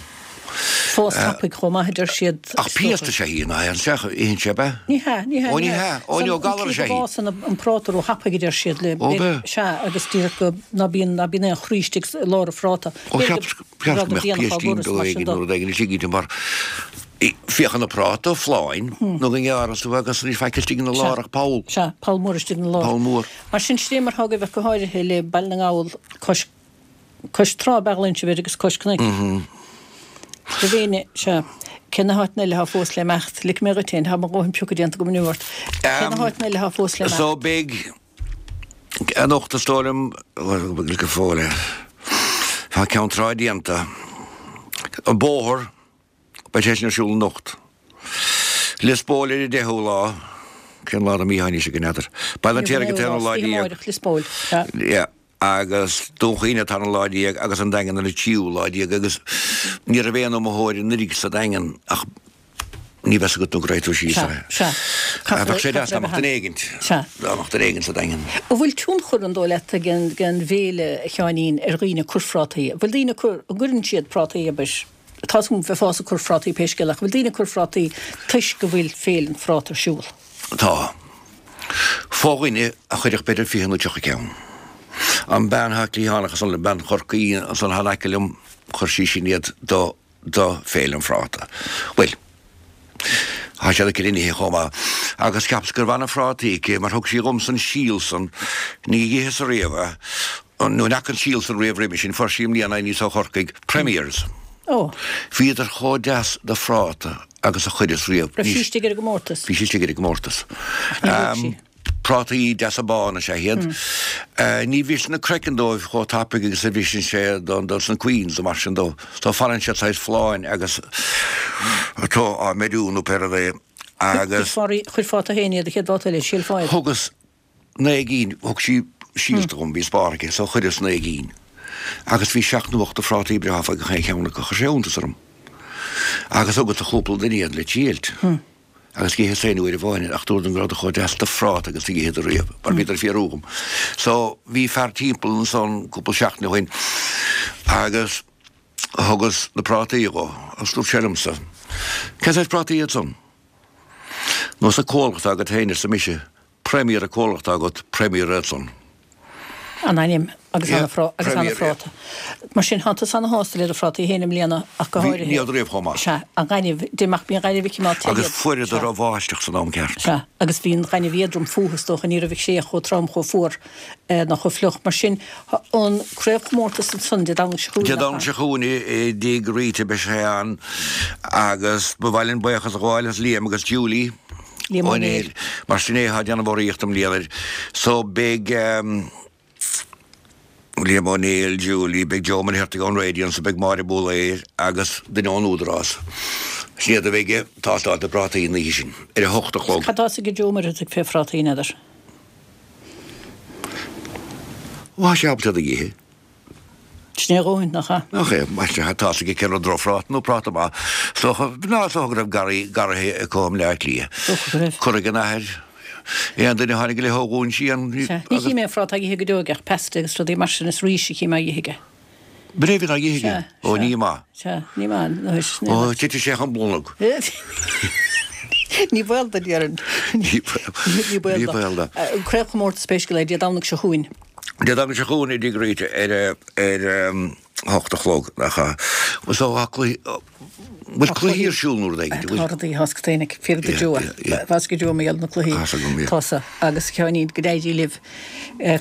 [SPEAKER 1] Fás tapaidh chomh maith a deir siad.
[SPEAKER 4] Ach piast is ea í, ná itheann sé, itheann sé ab ea?
[SPEAKER 1] Ní hea, ní hea,
[SPEAKER 4] Ó ní hea, ó ní, ó galar is ea í.
[SPEAKER 1] An tslí go bhfásann an práta ró-thapaidh a deir siad le,
[SPEAKER 4] Ó b'ea?
[SPEAKER 1] sea, agus díreach go, ná bíonn, ná bíonn aon chroí istigh i lár an phráta.
[SPEAKER 4] Ó cheap, cheap go mbeadh piaistín beag éigin nó rud éigin istigh inti mar féachann an práta folláin nó go ngearras tú agus níl faic istigh ina lár ach poll.
[SPEAKER 1] Sea, poll mór istigh ina lár.
[SPEAKER 4] Poll mór.
[SPEAKER 1] Mar sin, sin é mar atá agaibh ach go háirithe le Baile na nGall cois, cois trá ab ea a ghlaonn sibh air agus cois cnoic. Roimh éinne, sea. Cé na háiteanna eile atá fós le imeacht? Ligfidh mé dhuit féin, tá mo dhóthain piocadh déanta agam inniu ort. Cé na háiteanna eile atá fós le imeacht?
[SPEAKER 4] So beidh anocht is dóigh liom, bhuel, go fóill é. Tá Ceann Trá déanta. An bóthar, beidh sé sin ar siúl anocht. Lios Póil ar an deichiú lá, cén lá den mhí atá anois againn, n'fheadar. Baile an tSaothraigh an t-aonú lá déag.
[SPEAKER 1] Lios Póil, sea.
[SPEAKER 4] Yeah. Agus Dún Chaoin an tarna lá déag agus an Daingean ar an tríú lá déag agus ní raibh aon iomaitheoir anuraidh sa Daingean ach ní bheas agat nó go raghaidh tú síos
[SPEAKER 1] Sea, sea.
[SPEAKER 4] Bheadh sé deas dá mbeadh duine éigint,
[SPEAKER 1] Sea.
[SPEAKER 4] dá mbeadh duine éigint sa Daingean.
[SPEAKER 1] An bhfuil tionchar, an dóigh leat, ag an, ag an bhféile, a Sheáinín, ar dhaoine ag cur phrátaí? An bhfuil daoine ag cur, an gcuireann siad prátaí, abair, tá 's agam bheifeá ag cur phrátaí pé scéal, ach an bhfuil daoine ag cur phrátaí toisc go bhfuil Féile an Phráta ar siúl?
[SPEAKER 4] Tá. Fo-dhuine a chuirfeadh b'fhéidir fiche nó tríocha ceann. An bean atá cliathánach ansan, bean Chorcaí ansan atá in aice liom, chuir sí sin iad do do Féile an Phráta. Bhuel, tá siad aici le n-ithe chomh maith. Agus cheapas go raibh ana-phrátaí aici mar thug sí dhomsa an síol san, ní dh'itheas ariamh é, nó ní fhaca an síol san riamh roimhe sin, fuair sí i mbliana aníos ó Chorcaigh, Premiers.
[SPEAKER 1] Ó.
[SPEAKER 4] Bhíodar chomh deas do phráta agus a chuireas riamh.
[SPEAKER 1] Raibh sí istigh ar an gcomórtas?
[SPEAKER 4] Bhí sí istigh ar an gcomórtas.
[SPEAKER 1] Ach níor bhuaigh sí.
[SPEAKER 4] Prátaí deasa bána is ea iad. Ní bhriseann an craiceann dóibh chomh tapaidh agus a bhriseann sé don dos na Queens nó mar sin dó. So fanann siad saghas folláin agus tú á mbeiriú nó pé rud é agus.
[SPEAKER 1] Chuirfeá tú féin iad a chéad bhabhta eile, shílfeá iad.
[SPEAKER 4] Thugas naoi gcinn, thug sí síolta dhom, bhí spár aici, so chuireas naoi gcinn. Agus bhí seacht nó ocht de phrátaí breátha fá gach aon cheann acu. Chuir sé iontas orm. Agus thugas do chúpla duine iad le triailt. Agus d'itheas féin uair amháin iad, ach dúradar go rabhadar chomh deas do phráta agus a d'itheadar riamh, mar bhíodar ag fiarú dhom. So, bhí fear timpeall ansan cúpla seachtain ó shin agus thugas na prátaí dhó agus dúirt sé liomsa, Cén saghas prátaí iad san? Nós an comhlacht atá agat féin, arsa mise, Premier an comhlacht atá agat, Premier iad san.
[SPEAKER 1] An ainm agus
[SPEAKER 4] Yeah,
[SPEAKER 1] ana agus ana
[SPEAKER 4] Premier, yeah.
[SPEAKER 1] phráta. Mar sin, thánn tusa ana shásta le do phrátaí féin i mbliana ach go
[SPEAKER 4] Bhí,
[SPEAKER 1] háirithe.
[SPEAKER 4] ní raibh riamh chomh maith.
[SPEAKER 1] Sea, an gaineamh, de ach bíonn gaineamh aici má
[SPEAKER 4] Agus
[SPEAKER 1] te iad.
[SPEAKER 4] fuaireadar
[SPEAKER 1] Sea.
[SPEAKER 4] an bháisteach san am ceart.
[SPEAKER 1] Sea, agus bhí an ghaineamh éadrom fúthu is dócha, ní raibh sé chomh trom, chomh fuar ná chomh fliuch. Mar sin, an craobhchomórtas ansan Dé Domhnaigh seo chugainn,
[SPEAKER 4] Dé
[SPEAKER 1] nach
[SPEAKER 4] Domhnaigh
[SPEAKER 1] ea?
[SPEAKER 4] seo chugainn i dTigh Rita beidh sé ann agus ba mhaith linn buíochas a ghabháil as Liam agus Julie
[SPEAKER 1] Liam
[SPEAKER 4] Ó
[SPEAKER 1] Ó Néill.
[SPEAKER 4] Néill mar sin é atá ag déanamh urraíocht i mbliana air. So beidh Liam Ó Néill, Julie, beidh Joe Ó Muircheartaigh ón raidió anso, beidh Máire Búlaer agus duine ón Údarás. Sin iad a bheidh ag tástáil na bprátaí an oíche sin ar a hocht a chlog.
[SPEAKER 1] Cad tá 'fhios ag Joe Ó Muircheartaigh fé phrátaí, n'fheadar?
[SPEAKER 4] Ó, tá sé ábalta iad a dh'ithe.
[SPEAKER 1] Sin é a dhóthain, nach ea?
[SPEAKER 4] Nach ea, más ea, tá 'fhios aige cén rud drochphráta nó práta maith. Is dócha, ná, is dócha go raibh garraí, garraithe acu i mBleá Cliath.
[SPEAKER 1] Is dócha go raibh.
[SPEAKER 4] Cur ag an athair. Aon duine a tháinig i leith ó Dhún Síon,
[SPEAKER 1] Sea, ní
[SPEAKER 4] agus.
[SPEAKER 1] chím aon phráta á ithe go deo aige ach pesto agus rudaí mar sin, is rís a chím á ithe aige.
[SPEAKER 4] B'in é a bhíonn á ithe aige?
[SPEAKER 1] Sea,
[SPEAKER 4] Ó,
[SPEAKER 1] sea.
[SPEAKER 4] ní maith.
[SPEAKER 1] Sea, ní maith, nó is, ní
[SPEAKER 4] Ó,
[SPEAKER 1] maith.
[SPEAKER 4] titfidh sé chun bolg.
[SPEAKER 1] Ní baol do, déarfainn.
[SPEAKER 4] Ní baol,
[SPEAKER 1] Ní baol
[SPEAKER 4] ní
[SPEAKER 1] do.
[SPEAKER 4] baol do.
[SPEAKER 1] An craobhchomórtas pé scéal é, Dé Domhnaigh seo chugainn.
[SPEAKER 4] Dé Domhnaigh seo chugainn i dTigh Rita ar a ar a hocht a chlog, nach ea? So tá cluichí, bhfuil
[SPEAKER 1] Tá
[SPEAKER 4] cluichí
[SPEAKER 1] cluichí,
[SPEAKER 4] ar siúl nó rud éigin,
[SPEAKER 1] tá
[SPEAKER 4] bhfuil?
[SPEAKER 1] rudaí, tá 's agat féinig, fíor do
[SPEAKER 4] Yeah,
[SPEAKER 1] Joe,
[SPEAKER 4] yeah, yeah.
[SPEAKER 1] tá 's ag Joe mar gheall ar na cluichí.
[SPEAKER 4] Tá 's agam, yeah.
[SPEAKER 1] Tá sa, agus a Sheáinín, go n-éirí libh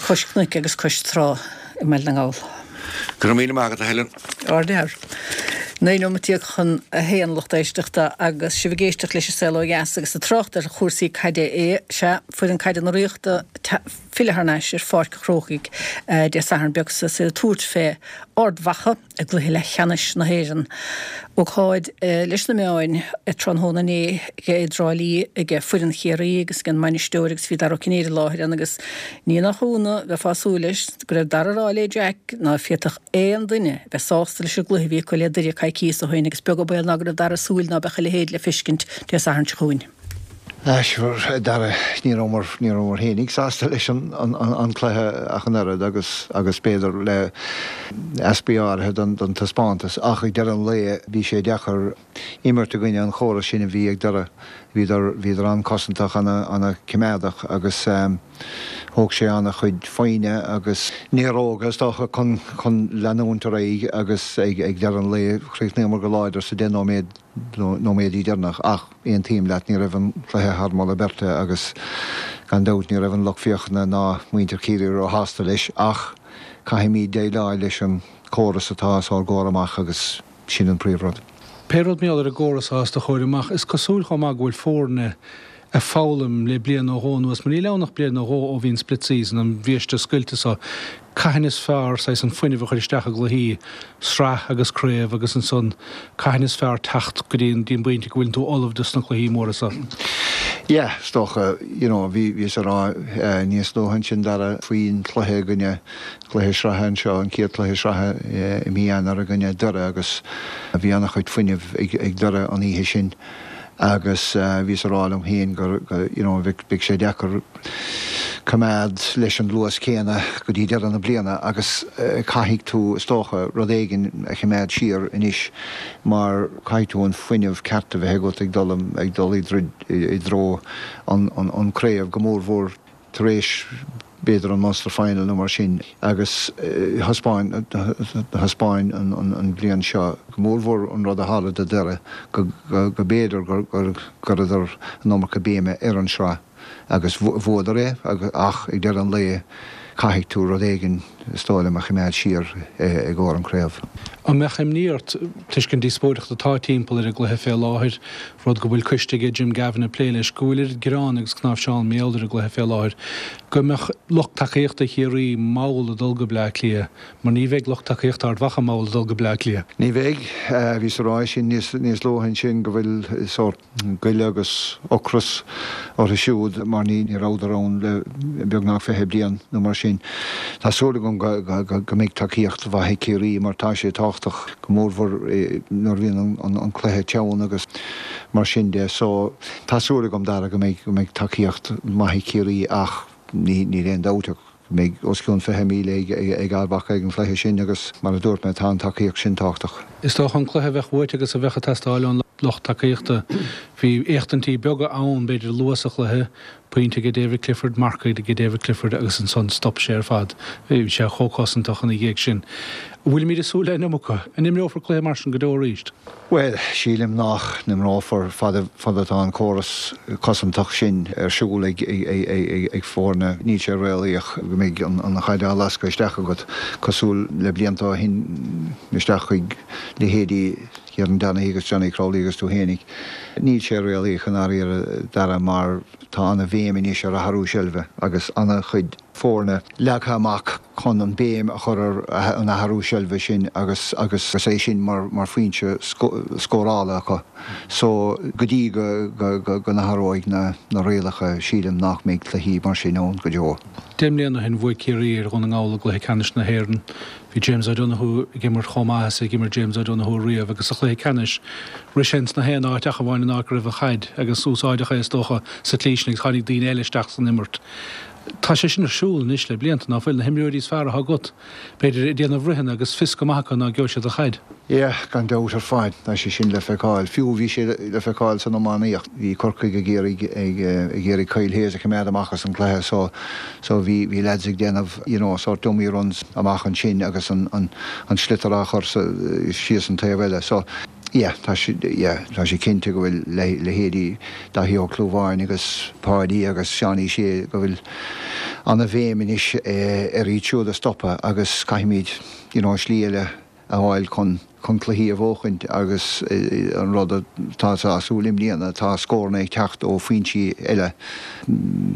[SPEAKER 1] cois cnoic agus cois trá i mBaile na nGall.
[SPEAKER 4] Go raibh míle maith agat, a Helen.
[SPEAKER 1] Ardfhear. Naoi nóiméad déag chun a haon, lucht éisteachta, agus sibh ag éisteacht leis an Saol Ó Dheas agus ag trácht ar chúrsaí caide é, sea, foireann caide na Ríochta filleadh thar n-ais ar Pháirc an Chrócaigh Dé Sathairn beag seo is iad ag tabhairt fé Ard Mhacha i gcluiche leathcheannais na hÉireann. Ócáid leis na meáin tráthnóna inné i dTrá Lí ag foireann Chiarraí agus ag an mbainisteoir agus bhí Dara Ó Cinnéide i láthair ann agus ní nach ionadh, bheifeá ag súil leis, go raibh Dara ag rá le Jack ná féadfadh aon duine bheith sásta leis an gcluiche a bhí acu le Doire coicíos ó shin agus beag an baol ná go raibh Dara ag súil ná beadh a leithéid le feiscint Dé Sathairn seo chugainn.
[SPEAKER 5] Sure, a Dara, ní rabhamar, ní rabhamar fhéinig sásta leis an, an, an cluiche ach an oiread agus, agus b'fhéidir le easpaí áirithe don, don taispeántas ach ag deireadh an lae bhí sé deacair imirt i gcoinne an chórais sin a bhí ag Doire. Bhíodar, bhíodar an-cosantach, ana, ana-choimeádach agus thóg sé an-chuid foighne agus néaróga is dócha chun, chun leanúint ar aghaidh agus ag, ag deireadh an lae chríochnaíomar go láidir sa deich nóiméad, nóiméadaí deireanach ach aontaím leat, ní raibh an cluiche thar moladh beirte agus gan dabht ní raibh an lucht féachana ná muintir Chiarraí róshásta leis ach caithfimid déileáil leis an córas atá os ár gcomhair amach agus sin an príomhrud.
[SPEAKER 6] Pé rud mar gheall ar an gcóras atá os do chomhair amach, is cosúil chomh maith go bhfuil foirne a foghlaim le bliain nó dhó anuas, mar níl ann ach bliain nó dhó ó bhí an split season, an bhiaiste scoilte so, cathain is fearr saghas an fuinneamh a chur isteach i gcluichí, sraith agus craobh agus ansan cathain is fearr teacht go dtí an dtí an bpointe go bhfuileann tú ullamh dos na cluichí móra so.
[SPEAKER 5] Yeah, is dócha, you know, bhí bhíos a rá níos luaithe ansin Dara faoin chluiche i gcoinne cluiche sraithe anseo, an chéad chluiche sraithe i mí Eanáir i gcoinne Doire agus bhí an-chuid fuinnimh ag ag Doire an oíche sin. Agus bhíos a rá liom féin gur, you know, bheadh sé deacair coimeád leis an luas céanna go dtí deireadh na bliana agus caithfidh tú, is dócha, rud éigin a choimeád siar anois mar caithfidh tú an fuinneamh ceart a bheith agat ag dul, ag dul i dtreo an, an craobh, go mórmhór tar éis b'fhéidir an Munster Final nó mar sin agus thaispeáin thaispeáin an bhliain seo go mórmhór an rud a tharla do Dhoire go go b'fhéidir gur chuireadar an iomarca béime ar an sraith agus bhuadar é ach ag deireadh an lae caithfidh tú rud éigin is dóigh liom a choimeád siar i gcomhair an craobh.
[SPEAKER 6] An mbeadh imní ort, toisc an díospóireacht atá timpeall ar an gcluiche fé láthair, rud go bhfuil coiste aige Jim Gavin ag plé leis, go bhfuil oiread gearán agus cnáimhseán mar gheall ar an gcluiche fé láthair, go mbeadh lucht tacaíochta Chiarraí mall ag dul go Bleá Cliath, mar ní bheidh lucht tacaíochta Ard Mhacha mall ag dul go Bleá Cliath?
[SPEAKER 5] Ní bheidh. Bhíos a rá sin níos luaithe ansin go bhfuil sórt goile agus ocras orthu siúd mar ní rabhadar ann le beagnach fiche bliain nó mar sin. Tá súil agam go mbeidh tacaíocht mhaith ag Ciarraí mar tá sé tábhachtach, go mórmhór nuair a bhíonn an cluiche teann agus mar sin de. So tá súil agam, Dara, go mbeidh tacaíocht mhaith ag Ciarraí ach níl aon dabht ach go mbeidh os cionn fiche míle ag Ard Mhacha ag an chluiche sin agus mar a dúirt mé tá an tacaíocht sin tábhachtach.
[SPEAKER 6] Is dócha an cluiche a bheadh uait agus a bheadh ag teastáil ón lucht tacaíochta. Bhí éachtaintí beaga ann, b'fhéidir, luath sa chluiche, pointe ag David Clifford, marc ag David Clifford agus ansan stop sé ar fad. Bhí sé chomh cosantach ina dhiaidh sin. An bhfuilimid ag súil le an iomarca? An imreofar cluiche mar sin go deo arís?
[SPEAKER 5] Bhuel, sílim nach n-imreofar fad atá an córas cosantach sin ar siúl ag ag foirne. Níl sé réalaíoch go mbeidh an chaid á lascadh isteach agat cosúil le blianta ó shin isteach chuig leithéidí Kieran Donaghy agus Johnny Crowley agus tú fhéinig. Níl sé réalaíoch i ndáiríre, Dara, mar tá ana-bhéim anois ar athrú seilbhe agus ana-chuid foirne leagtha amach chun an béim a chur ar an athrú seilbhe sin agus agus é sin mar mar foinse scórála acu. So go dtí go go go n-athróidh na na rialacha sílim nach mbeidh cluichí mar sin ann go deo.
[SPEAKER 6] Deich mbliana ó shin bhuaigh Ciarraí ar Dhún na nGall i gcluiche ceannais na hÉireann. Bhí James O'Donoghue ag imirt chomh maith is a d'imir James O'Donoghue riamh agus sa chluiche ceannais rith sé ins na haon áit ach amháin an áit go raibh an chaid agus úsáideadh é is dócha sa tslí sin agus tháinig daoine eile isteach san imirt. Tá sé sin ar siúl anois le blianta, ná fuil? Na himreoirí is fearr atá agat, b'fhéidir, ag déanamh ritheanna agus fios go maith acu ná gheobhaidh siad an chaid.
[SPEAKER 5] Yeah, gan dabht ar fad, tá sé sin le feiceáil. Fiú bhí sé le feiceáil san iománaíocht. Bhí Corcaigh ag iarraidh ag ag iarraidh Kyle Hayes a choimeád amach as an gcluiche so so bhí bhí lads ag déanamh you know sort dummy runs amach ansin agus an an an sliotar á chur sa síos an taobh eile. So yeah, tá sé yeah, tá sé cinnte go bhfuil leithéidí Daithí Ó Clúmháin agus Páidí agus Seánie Shea go bhfuil ana-bhéim anois ar iad siúd a stopadh agus caithfimid you know slí eile a fháil chun chun cluichí a bhuachaint agus an rud atá sásúil i mbliana tá scóranna ag teacht ó foinsí eile,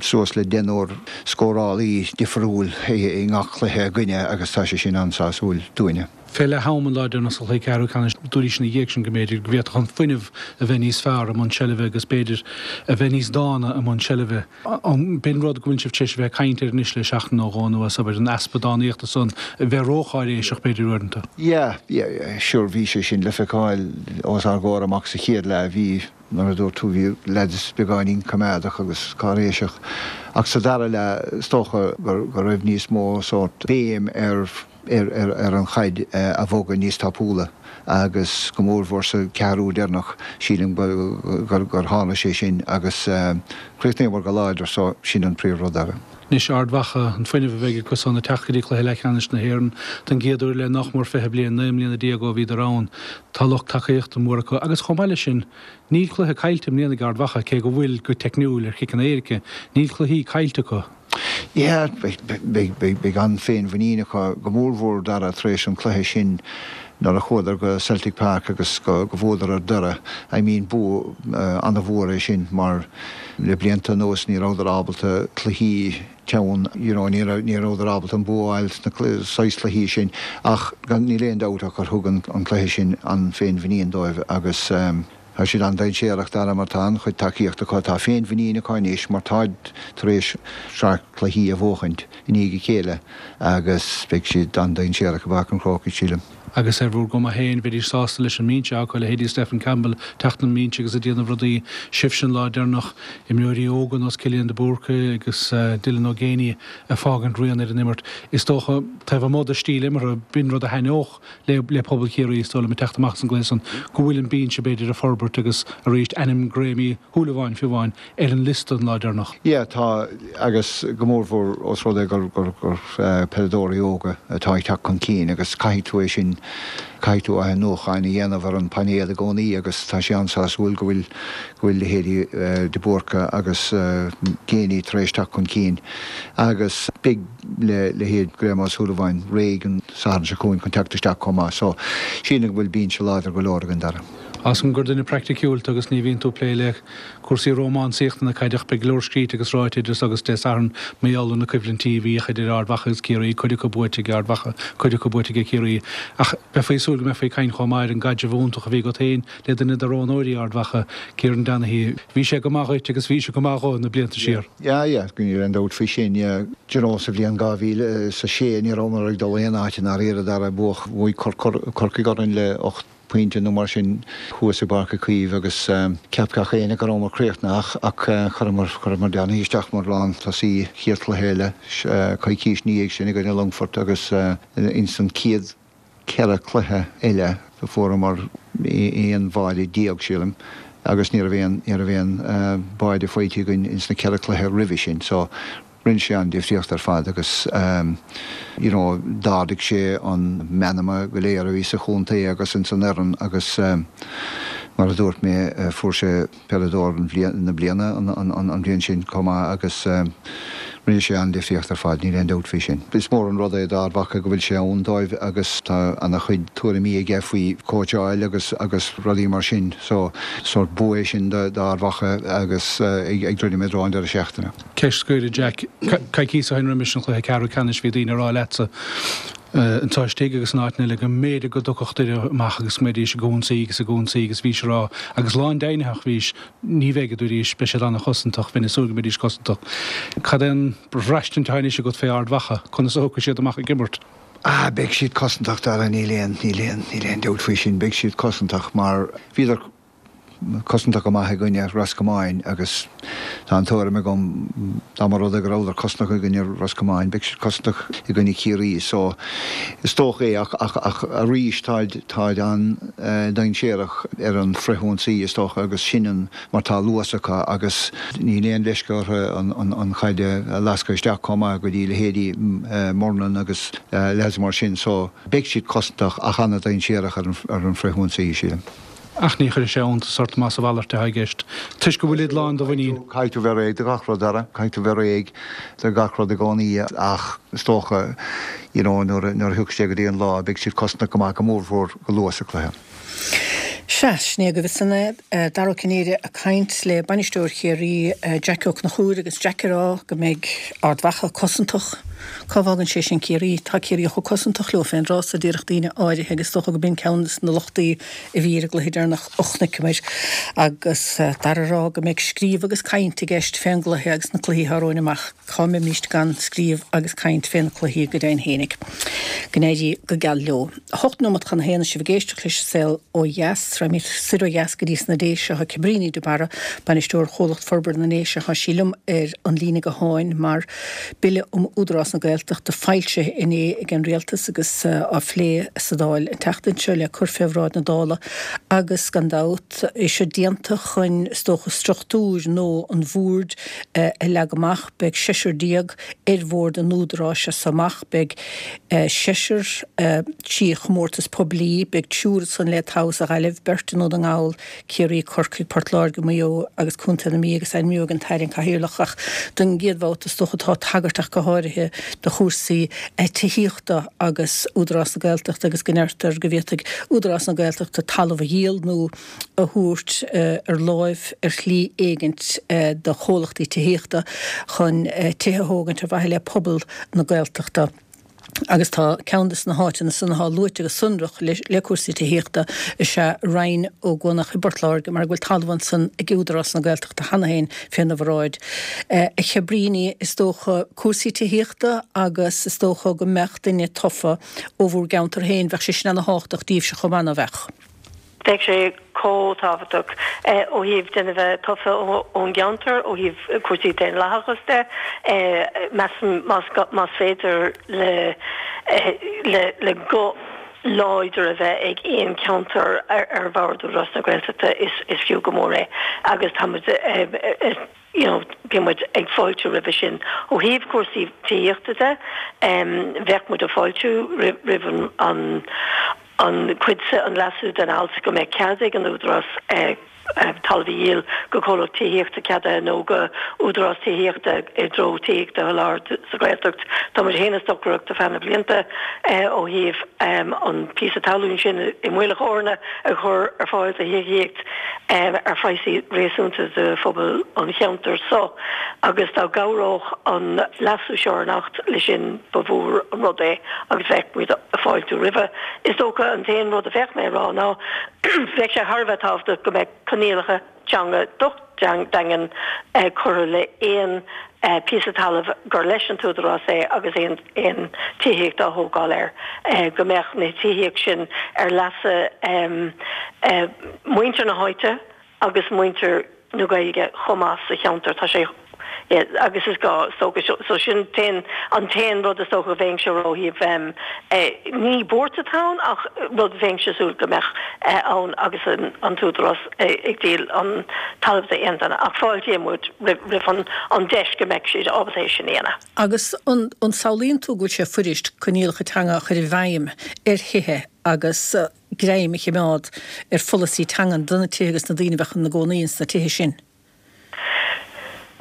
[SPEAKER 5] suas le deichniúr scórálaí difriúil i ngach cluiche againne agus tá sé sin an-sásúil dúinne.
[SPEAKER 6] Fé leath am an lá deireanach sa chluiche ceathrú ceannais, dúraís ina dhiaidh sin go mb'fhéidir go bhféadfadh an fuinneamh a bheith níos fearr i mbun seilbhe agus b'fhéidir a bheith níos dána i mbun seilbhe. B'in rud go bhfuil sibh tar éis a bheith ag caint air anois le seachtain nó dhó anuas, abair, an easpa dánaíochta san, a bheith rócháiréiseach b'fhéidir uaireanta.
[SPEAKER 5] Yeah, yeah, yeah, sure, bhí sé sin le feiceáil os ár gcomhair amach sa chéad leath, bhí, mar a dúirt tú, bhí leaids beagáinín coimeádach agus cáiréiseach ach sa dara leath is dócha go raibh níos mó sórt béim ar ar an chaid a bhogadh níos tapúla agus go mórmhór sa cheathrú deireanach, sílim gur tharla sé sin agus chríochnaíomar go láidir so sin an príomhrud eile.
[SPEAKER 6] Anois Ard Mhacha, an fuinneamh a bheidh acu san ag teacht go dtí cluiche leathcheannais na hÉireann don gcéad uair le nach mór fiche bliain, naoi mbliana déag ó bhíodar ann. Tá lucht tacaíochta mór acu agus chomh maith leis sin, níl cluiche caillte i mbliana ag Ard Mhacha, cé go bhfuil go teicniúil ar chiceanna éirice, níl cluichí caillte acu.
[SPEAKER 5] Yeah, beidh an-fhéinmhuinín acu, go mórmhór Dara tar éis an cluiche sin nuair a chuadar go Celtic Park agus go go bhuadar ar Doire, I mean bua an-mhór é sin mar le blianta anuas ní rabhadar ábalta cluichí teann, you know, ní raibh ní rabhadar ábalta an bua a fháil sna saghas cluichí sin ach gan níl aon dabht ach gur thug an an cluiche sin an féinmhuinín dóibh agus tá siad an-dainséarach Dara mar tá an-chuid tacaíochta acu, tá féinmhuinín acu anois mar táid tar éis sraith cluichí a bhuachaint i ndiaidh a chéile agus beidh siad an-dainséarach i bPáirc an Chrócaigh, sílim.
[SPEAKER 6] Agus ar bhur gcuma féin, bheidís sásta leis an mbinse acu, leithéidí Stephen Campbell teacht ón mbinse agus ag déanamh rudaí, sibhse an lá deireanach, imreoirí óga nós Cillian de Búrca agus Dylan Ó Géibheannaigh ag fágaint rian ar an imirt. Is dócha, taobh amuigh de stíl imeartha, b'in rud a thaitneodh le le pobal Chiarraí, is dóigh liom, ag teacht amach as an gcluiche san, go bhfuil an binse b'fhéidir ag forbairt agus arís ainm Graeme Uí Shúilleabháin fiú amháin ar an liosta an lá deireanach.
[SPEAKER 5] Yeah, tá, agus go mórmhór os rud é gur gur gur peileadóirí óga atá ag teacht chun cinn agus caithfidh tú é sin, caithfidh tú athnuachan a dhéanamh ar an bpainéal i gcónaí agus tá sé an-sásúil go bhfuil go bhfuil leithéidí de Búrca agus Geaney tar éis teacht chun cinn agus beidh le leithéid Graeme Ó Súilleabháin réidh an Satharn seo chugainn chun teacht isteach chomh maith so sílim go bhfuil binse láidir go leor againn Dara.
[SPEAKER 6] Tá 's agam gur duine praiticiúil tú agus ní bhíonn tú ag plé le cúrsaí rómánsaíochta na caide ach beidh go leor scríte agus ráite idir so agus Dé Sathairn mar gheall ar na coimhlintí a bhíodh idir Ard Mhacha agus Ciarraí, cuid acu buaite ag Ard Mhacha, cuid acu buaite ag Ciarraí. Ach beifí ag súil go mbeifí ag caint chomh maith ar an gcaidreamh iontach a bhí agat féin le duine de roghnóirí Ard Mhacha, Kieran Donaghy. Bhí sé go maith dhuit agus bhí sé go maith dhó na blianta siar.
[SPEAKER 5] Yeah, yeah, níl aon dabht faoi sin, yeah. Do you know, sa bhliain dhá mhíle is a sé ní rabhamar ag dul aon áit i ndáiríre Dara, bhuaigh, bhuaigh Corcaigh orainn le ocht pointe nó mar sin thuas i bPáirc Uí Chaoimh agus cheap gach éinne go rabhamar críochnaithe ach chuireamar, chuireamar Donaghy isteach mar lántosaí chéad chluiche eile coicís ina dhiaidh sin i gcoinne Longfort agus ins an chéad ceithre chluiche eile do fuaireamar aon bháide déag sílim agus ní raibh aon, ní raibh aon báide faighte againn ins na ceithre chluiche roimhe sin so rinne sé an difríocht ar fad agus you know d'ardaigh sé an meanma go léir a bhí sa chontae agus ins an fhoireann agus mar a dúirt mé fuair sé peileadóir na bliana an bhliain sin chomh maith agus rinne sé an difríocht ar fad, níl aon dabht faoi sin. Is mór an rud é d'Ard Mhacha go bhfuil sé ann dóibh agus tá ana-chuid tuairimí aige faoi chóitseáil agus agus rudaí mar sin so sórt bua é sin d'Ard Mhacha agus ag druidim i dtreo an deireadh seachtaine.
[SPEAKER 6] Ceist scoir, a Jack. Coicís ó shin roimis an chluiche ceathrú ceannais bhí daoine ag rá leatsa anseo istigh agus in áiteanna eile go mb'fhéidir go dtiocfadh Doire amach agus go mbeidís ag ionsaí agus ag ionsaí agus bhís ag rá agus lándeimhnitheach bhís ní bheidh a dúraís beidh siad an-chosantach, bheinn ag súil go mbeidís cosantach. Cad é an bhraistint atá anois agat fé Ard Mhacha? Conas a thiocfaidh siad amach ag imirt?
[SPEAKER 5] Ah, beidh siad cosantach Dara, níl aon, níl aon, níl aon dabht faoi sin, beidh siad cosantach mar bhíodar cosantach go maith i gcoinne Ros Comáin agus tá an tuairim agam dá mba rud é go rabhadar cosantach i gcoinne Ros Comáin, beidh siad cosantach i gcoinne Chiarraí so is dócha é ach, ach, ach arís táid, táid an-dainséarach ar an frithionsaí is dócha agus sin an, mar tá luas acu agus níl aon leisce orthu an, an, an chaid a lascadh isteach chomh maith go dtí leithéidí Murnin agus leaids mar sin so beidh siad cosantach ach an-dainséarach ar an, ar an frithionsaí sílim.
[SPEAKER 6] Ach ní chuirfidh sé iontas ort más a mhalairt atá i gceist, toisc go bhfuilid lán de mhuinín.
[SPEAKER 5] Caithfidh tú bheith réidh do gach rud, Dara. Caithfidh tú bheith réidh do gach rud i gcónaí ach is dócha, you know, nuair a thiocfaidh sé go dtí an lá, beidh siad cosantach go maith, go mórmhór go luath sa chluiche.
[SPEAKER 1] Sea, sin é agaibh ansan é, Dara Ó Cinnéide ag caint le bainisteoir Chiarraí, Jackie Ó Conchúir agus Jack ag rá go mbeidh Ard Mhacha cosantach. Cá bhfágann sé sin Ciarraí? Tá Ciarraí chomh cosantach leo féin tráth a déarfadh daoine áirithe agus is dócha go b'in ceann de na lochtaí a bhí ar an gcluiche deireanach a chonaiceamar. Agus Dara ag rá go mbeidh scríobh agus caint i gceist fén gcluiche agus na cluichí atá romhainn amach. Cá mbeimíst gan scríobh agus caint fé na cluichí go deimhin fhéinig. Go n-éirí go geal leo. Hocht nóimeat chun a haon is sibh ag éisteacht leis an Saol Ó Dheas. Raghaimid soir ó dheas go dtí sna Déise. Tá Cabríní de Barra, Bainisteoir Chomhlacht Forbartha na nDéise, tá sí liom ar an líne gutháin mar Bille um Údarás na Gaeltachta foilsithe inné ag an Rialtas agus á phlé sa Dáil an tseachtain seo le cur fé bhráid na Dála agus gan dabht é seo déanta chun is dócha struchtúr nua an bhoird a leagadh amach. Beidh seisear déag ar bhord an Údaráis as so amach. Beidh seisear trí chomórtas poiblí, beidh triúr ansan le toghadh sa Ghaillimh, beirt i nDún na nGall, Ciarraí, Corcaigh, Port Láirge, Maigh Eo agus Contae na Mí agus ainmneoidh an tAire an Cathaoirleach. Ach don gcéad bhabhta is dócha tá tagairt ach go háirithe do chúrsaí tithíochta agus Údarás na Gaeltachta agus go ndeirtear go bhféadfaidh Údarás na Gaeltachta talamh a dhíol nó a thabhairt ar láimh ar shlí éigint do chomhlachtaí tithíochta chun tithe a thógaint ar mhaithe le pobal na Gaeltachta. Agus tá ceann de na háiteanna san atá luaite go sonrach le cúrsaí tithíochta is ea Rinn Ó gCuanach i bPort Láirge mar go bhfuil talamh ansan ag Údarás na Gaeltachta cheana féin féna bhráid. A Chabríní, is dócha cúrsaí tithíochta agus is dócha go mbeadh duine tofa ó bhur gceantar féin, bheadh sé sin ana-thábhachtach daoibhse chomh maith, ná beadh?
[SPEAKER 7] Bheadh sé chomh tábhachtach ó thaobh duine a bheith tofa ón gceantar, ó thaobh cúrsaí daonlathachas de. Measaim más féidir le le guth láidir a bheith ag aon cheantar ar bhord Údarás na Gaeltachta is fiú go mór é agus tá muid you know bíonn muid ag fáiltiú roimhe sin. Ó thaobh cúrsaí tithíochta de, bheadh muid ag fáiltiú roimh an an cuid se, an leasú den alt go mbeadh cead ag an Údarás talamh a dhíol go comhlacht tithíochta ceadaithe nó go údarás tithíochta i dtreo tithíocht a sholáthar sa Ghaeltacht. Tá muid féin ag stocaireacht ar feadh na blianta ó thaobh an píosa talún sin i Muileach Eorna a chur ar fáil do thithíocht ar phraghsaí réasúnta do phobal an cheantair so agus dá gcabhródh an leasú seo ar an Acht leis sin ba mhór an rud é agus bheadh muid ag fáiltiú roimhe. Is dócha an t-aon rud a bheadh mé a rá ná bheadh sé thar a bheith tábhachtach go mbeadh coinníollacha teanga docht daingean curtha le aon píosa talaimh gur leis an t-údarás é agus aon aon tithíocht á thógáil air, go mbeadh na tithíocht sin ar leasa muintir na háite agus muintir na Gaeilge chomh maith sa cheantar. Tá sé agus is gá, is dócha, so sin t-aon, an t-aon rud is dócha a bheinnse ó thaobh, ní buairt atá ann ach rud a bheinnse súil go mbeadh ann agus an t-údarás ag díol an talamh d'aon duine ach fáiltíonn muid roimh an an deis go mbeadh siad ábalta é sin a dhéanamh.
[SPEAKER 1] Agus an an samhlaíonn tú go bhfuil sé fuirist coinníollacha teanga a chur i bhfeidhm ar thithe agus greim a chimeád ar pholasaí teangan do na tithe agus na daoine a bheadh ina gcónaí ins na tithe sin?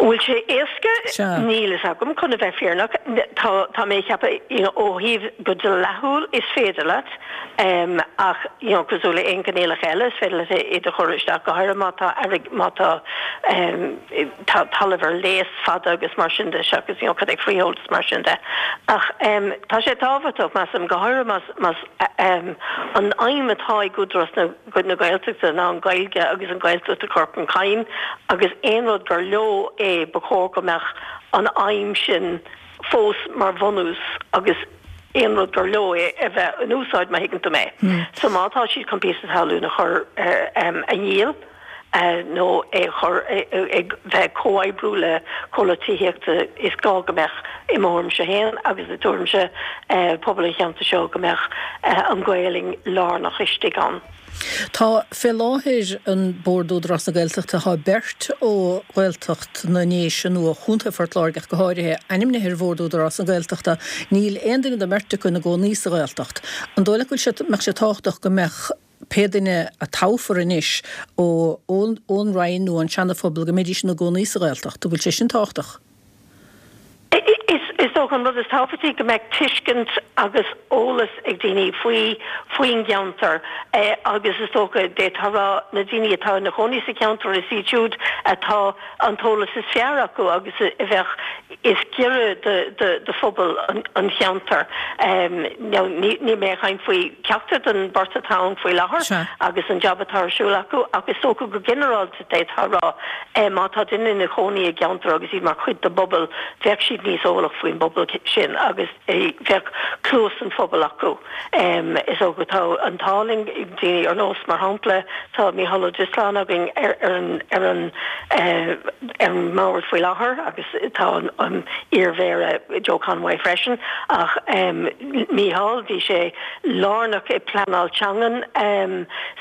[SPEAKER 7] An bhfuil sé éasca?
[SPEAKER 1] Sea.
[SPEAKER 7] Níl fhios agam, chun a bheith fírinneach. Tá, tá mé ag ceapadh, you know, ó thaobh go dleathúil is féidir leat, ach, you know, cosúil le aon coinníollacha eile, is féidir leat iad a chur isteach, go háirithe má tá airg, má tá, tá talamh ar léas fada agus mar sin de, seachas, you know, cad é freehold is mar sin de. Ach tá sé tábhachtach, measaim, go háirithe más, más an aidhm atá ag Údarás na. na Gaeltachta ná an Ghaeilge agus an Ghaeltacht a chur chun cinn agus aon rud gur leo é ba chóir go mbeadh an aidhm sin fós mar bhunús agus aon rud gur leo é a bheith in úsáid má thuigeann tú mé. So má tá siad chun píosa talún a chur a dhíol nó é a chur ag bheith ag comhoibriú le comhlacht tithíochta is gá go mbeadh i mo thuairimse féin agus i dtuairimse pobal an cheantair seo go mbeadh an Ghaelainn lárnach istigh ann.
[SPEAKER 1] Tá fé láthair ar Bhord Údarás na Gaeltachta tá beirt ó Ghaeltacht na nDéise nó ó Chontae Phort Láirge ach go háirithe, ainmnithe ar Bhord Údarás na Gaeltachta. Níl aon duine den mbeirt acu ina gcónaí sa Ghaeltacht. An dóigh leat go bhfuil sé, mbeadh sé tábhachtach go mbeadh pé duine a toghfar anois ó ón Rinn nó ón Seana-Phobal go mbeidís ina gcónaí sa Ghaeltacht? An bhfuil sé sin tábhachtach?
[SPEAKER 7] Is dócha an rud is tábhachtaí go mbeadh tuiscint agus eolas ag daoine faoi faoin gceantar agus is dócha d'fhéadfá a rá na daoine atá ina chónaí sa cheantar is iad siúd atá an t-eolas is fearr acu agus a bheadh is giorra do phobal an cheantair. Now níl mé ag caint faoi ceachtar den bheirt atá ann faoi láthair agus an jab atá ar siúl acu ach is dócha go ginearálta D'fhéadfá a rá, má tá duine ina chónaí i gceantar agus iad mar chuid de bpobal, bheadh siad níos eolach faoin bpobal sin agus bheadh cluas an phobail acu. Is dócha tá an t-ádh linn, daoine ar nós, mar shampla, tá Mícheál Ó Drisleáin againn ar an ar an ar an mbord faoi láthair agus tá an iar-mhéara Joe Conway freisin ach Mícheál, bhí sé lárnach i bpleanáil teangan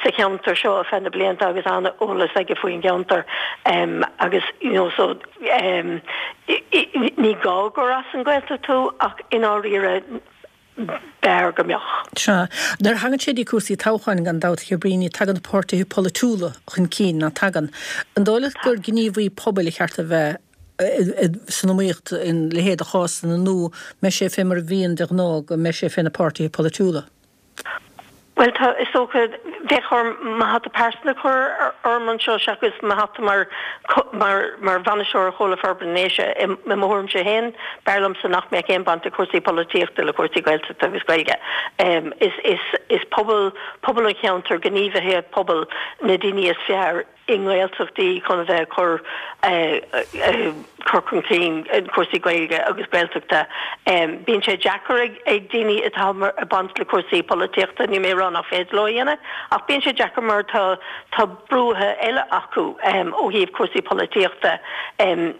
[SPEAKER 7] sa cheantar seo ar feadh na blianta agus an-eolas aige faoin gceantar agus you know so ní gá gur as an Ghaeltacht tú ach i ndáiríre b'fhearr go mbeadh.
[SPEAKER 1] Sea. Nuair a thagann sé dtí cúrsaí toghcháin, gan dabht, a Chabríní, tagann na páirtithe polaitiúla chun cinn, ná tagann? An dóigh leat gur gníomhaí pobail a cheart a bheith san iomaíocht ina leithéid de chásanna nó mbeidh sé fé mar a bhíonn de ghnáth go mbeidh sé fé na páirtithe polaitiúla?
[SPEAKER 7] Bhuel, tá, is dócha, bheadh orm mo hata pearsanta a chur orm anseo seachas mo hata mar, mar, mar bhainisteoir ar Chomhlacht Forbartha na nDéise. I mo thuairimse féin, b'fhearr liomsa nach mbeadh aon baint ag cúrsaí polaitíochta le cúrsaí Gaeltachta agus Gaeilge. Is, is, is pobal, pobal an cheantair, gníomhaithe pobail na daoine is fearr i nGaeltachtaí chun a bheith ag cur cur chun cinn cúrsaí Gaeilge agus Gaeltachta. Bíonn sé deacair ag daoine atá ag baint le cúrsaí polaitíochta, níl mé ag rá nach féidir leo a dhéanamh, ach bíonn sé deacair mar tá tá brúithe eile acu ó thaobh cúrsaí polaitíochta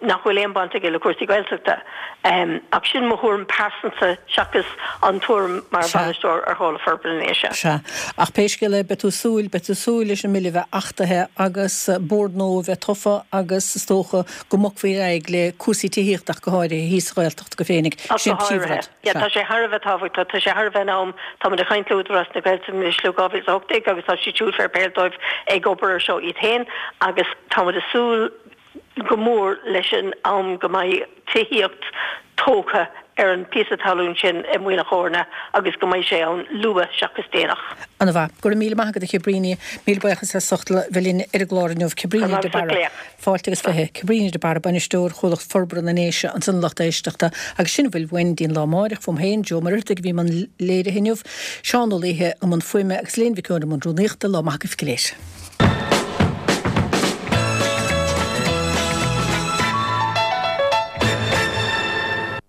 [SPEAKER 7] nach bhfuil aon baint aige le cúrsaí Gaeltachta. Ach sin mo thuairim pearsanta seachas an tuairim mar bhainisteoir ar Chomhlacht Forbartha na nDéise.
[SPEAKER 1] Sea. Ach pé scéal é, beidh tú ag súil, beidh tú ag súil leis an mbille a bheith achtaithe agus bord nua a bheith tofa agus is dócha go mbogfaí ar aghaidh le cúrsaí tithíochta ach go háirithe thíos sa Ghaeltacht go féinig.
[SPEAKER 7] Ach
[SPEAKER 1] Sin
[SPEAKER 7] go
[SPEAKER 1] an
[SPEAKER 7] háirithe.
[SPEAKER 1] príomhrud.
[SPEAKER 7] Yeah,
[SPEAKER 1] Sea.
[SPEAKER 7] tá sé thar a bheith tábhachtach. Tá sé thar a bheith in am. Táimid ag caint le Údarás na Gaeltachta anois le dhá mhíle is a hocht déag agus tá siad siúd fair play dóibh ag obair ar seo iad féin agus táimid ag súil go mór leis an am go mbeidh tithíocht tógtha ar an bpíosa talún sin i Muileann Eorna agus go mbeidh sé ann luath seachas déanach.
[SPEAKER 1] Ana mhaith. Go raibh míle maith agat a Chabríona. Míle buíochas as ucht a bheith linn ar an gclár inniu. Cabríona de Barra. Fáilte agus fiche. Cabríona de Barra, Bainisteoir Chomhlacht Forbartha na nDéise ansan a lucht éisteachta. Agus sin a bhfuil uainn go dtí an lá amáireach. Fúm féin, Joe Ó Muircheartaigh a bhí i mbun léirithe inniu, Seán Ó Laoithe i mbun fuaime agus Léan Mhic Eoin i mbun rúnaíochta. Lá maith agaibh go léir.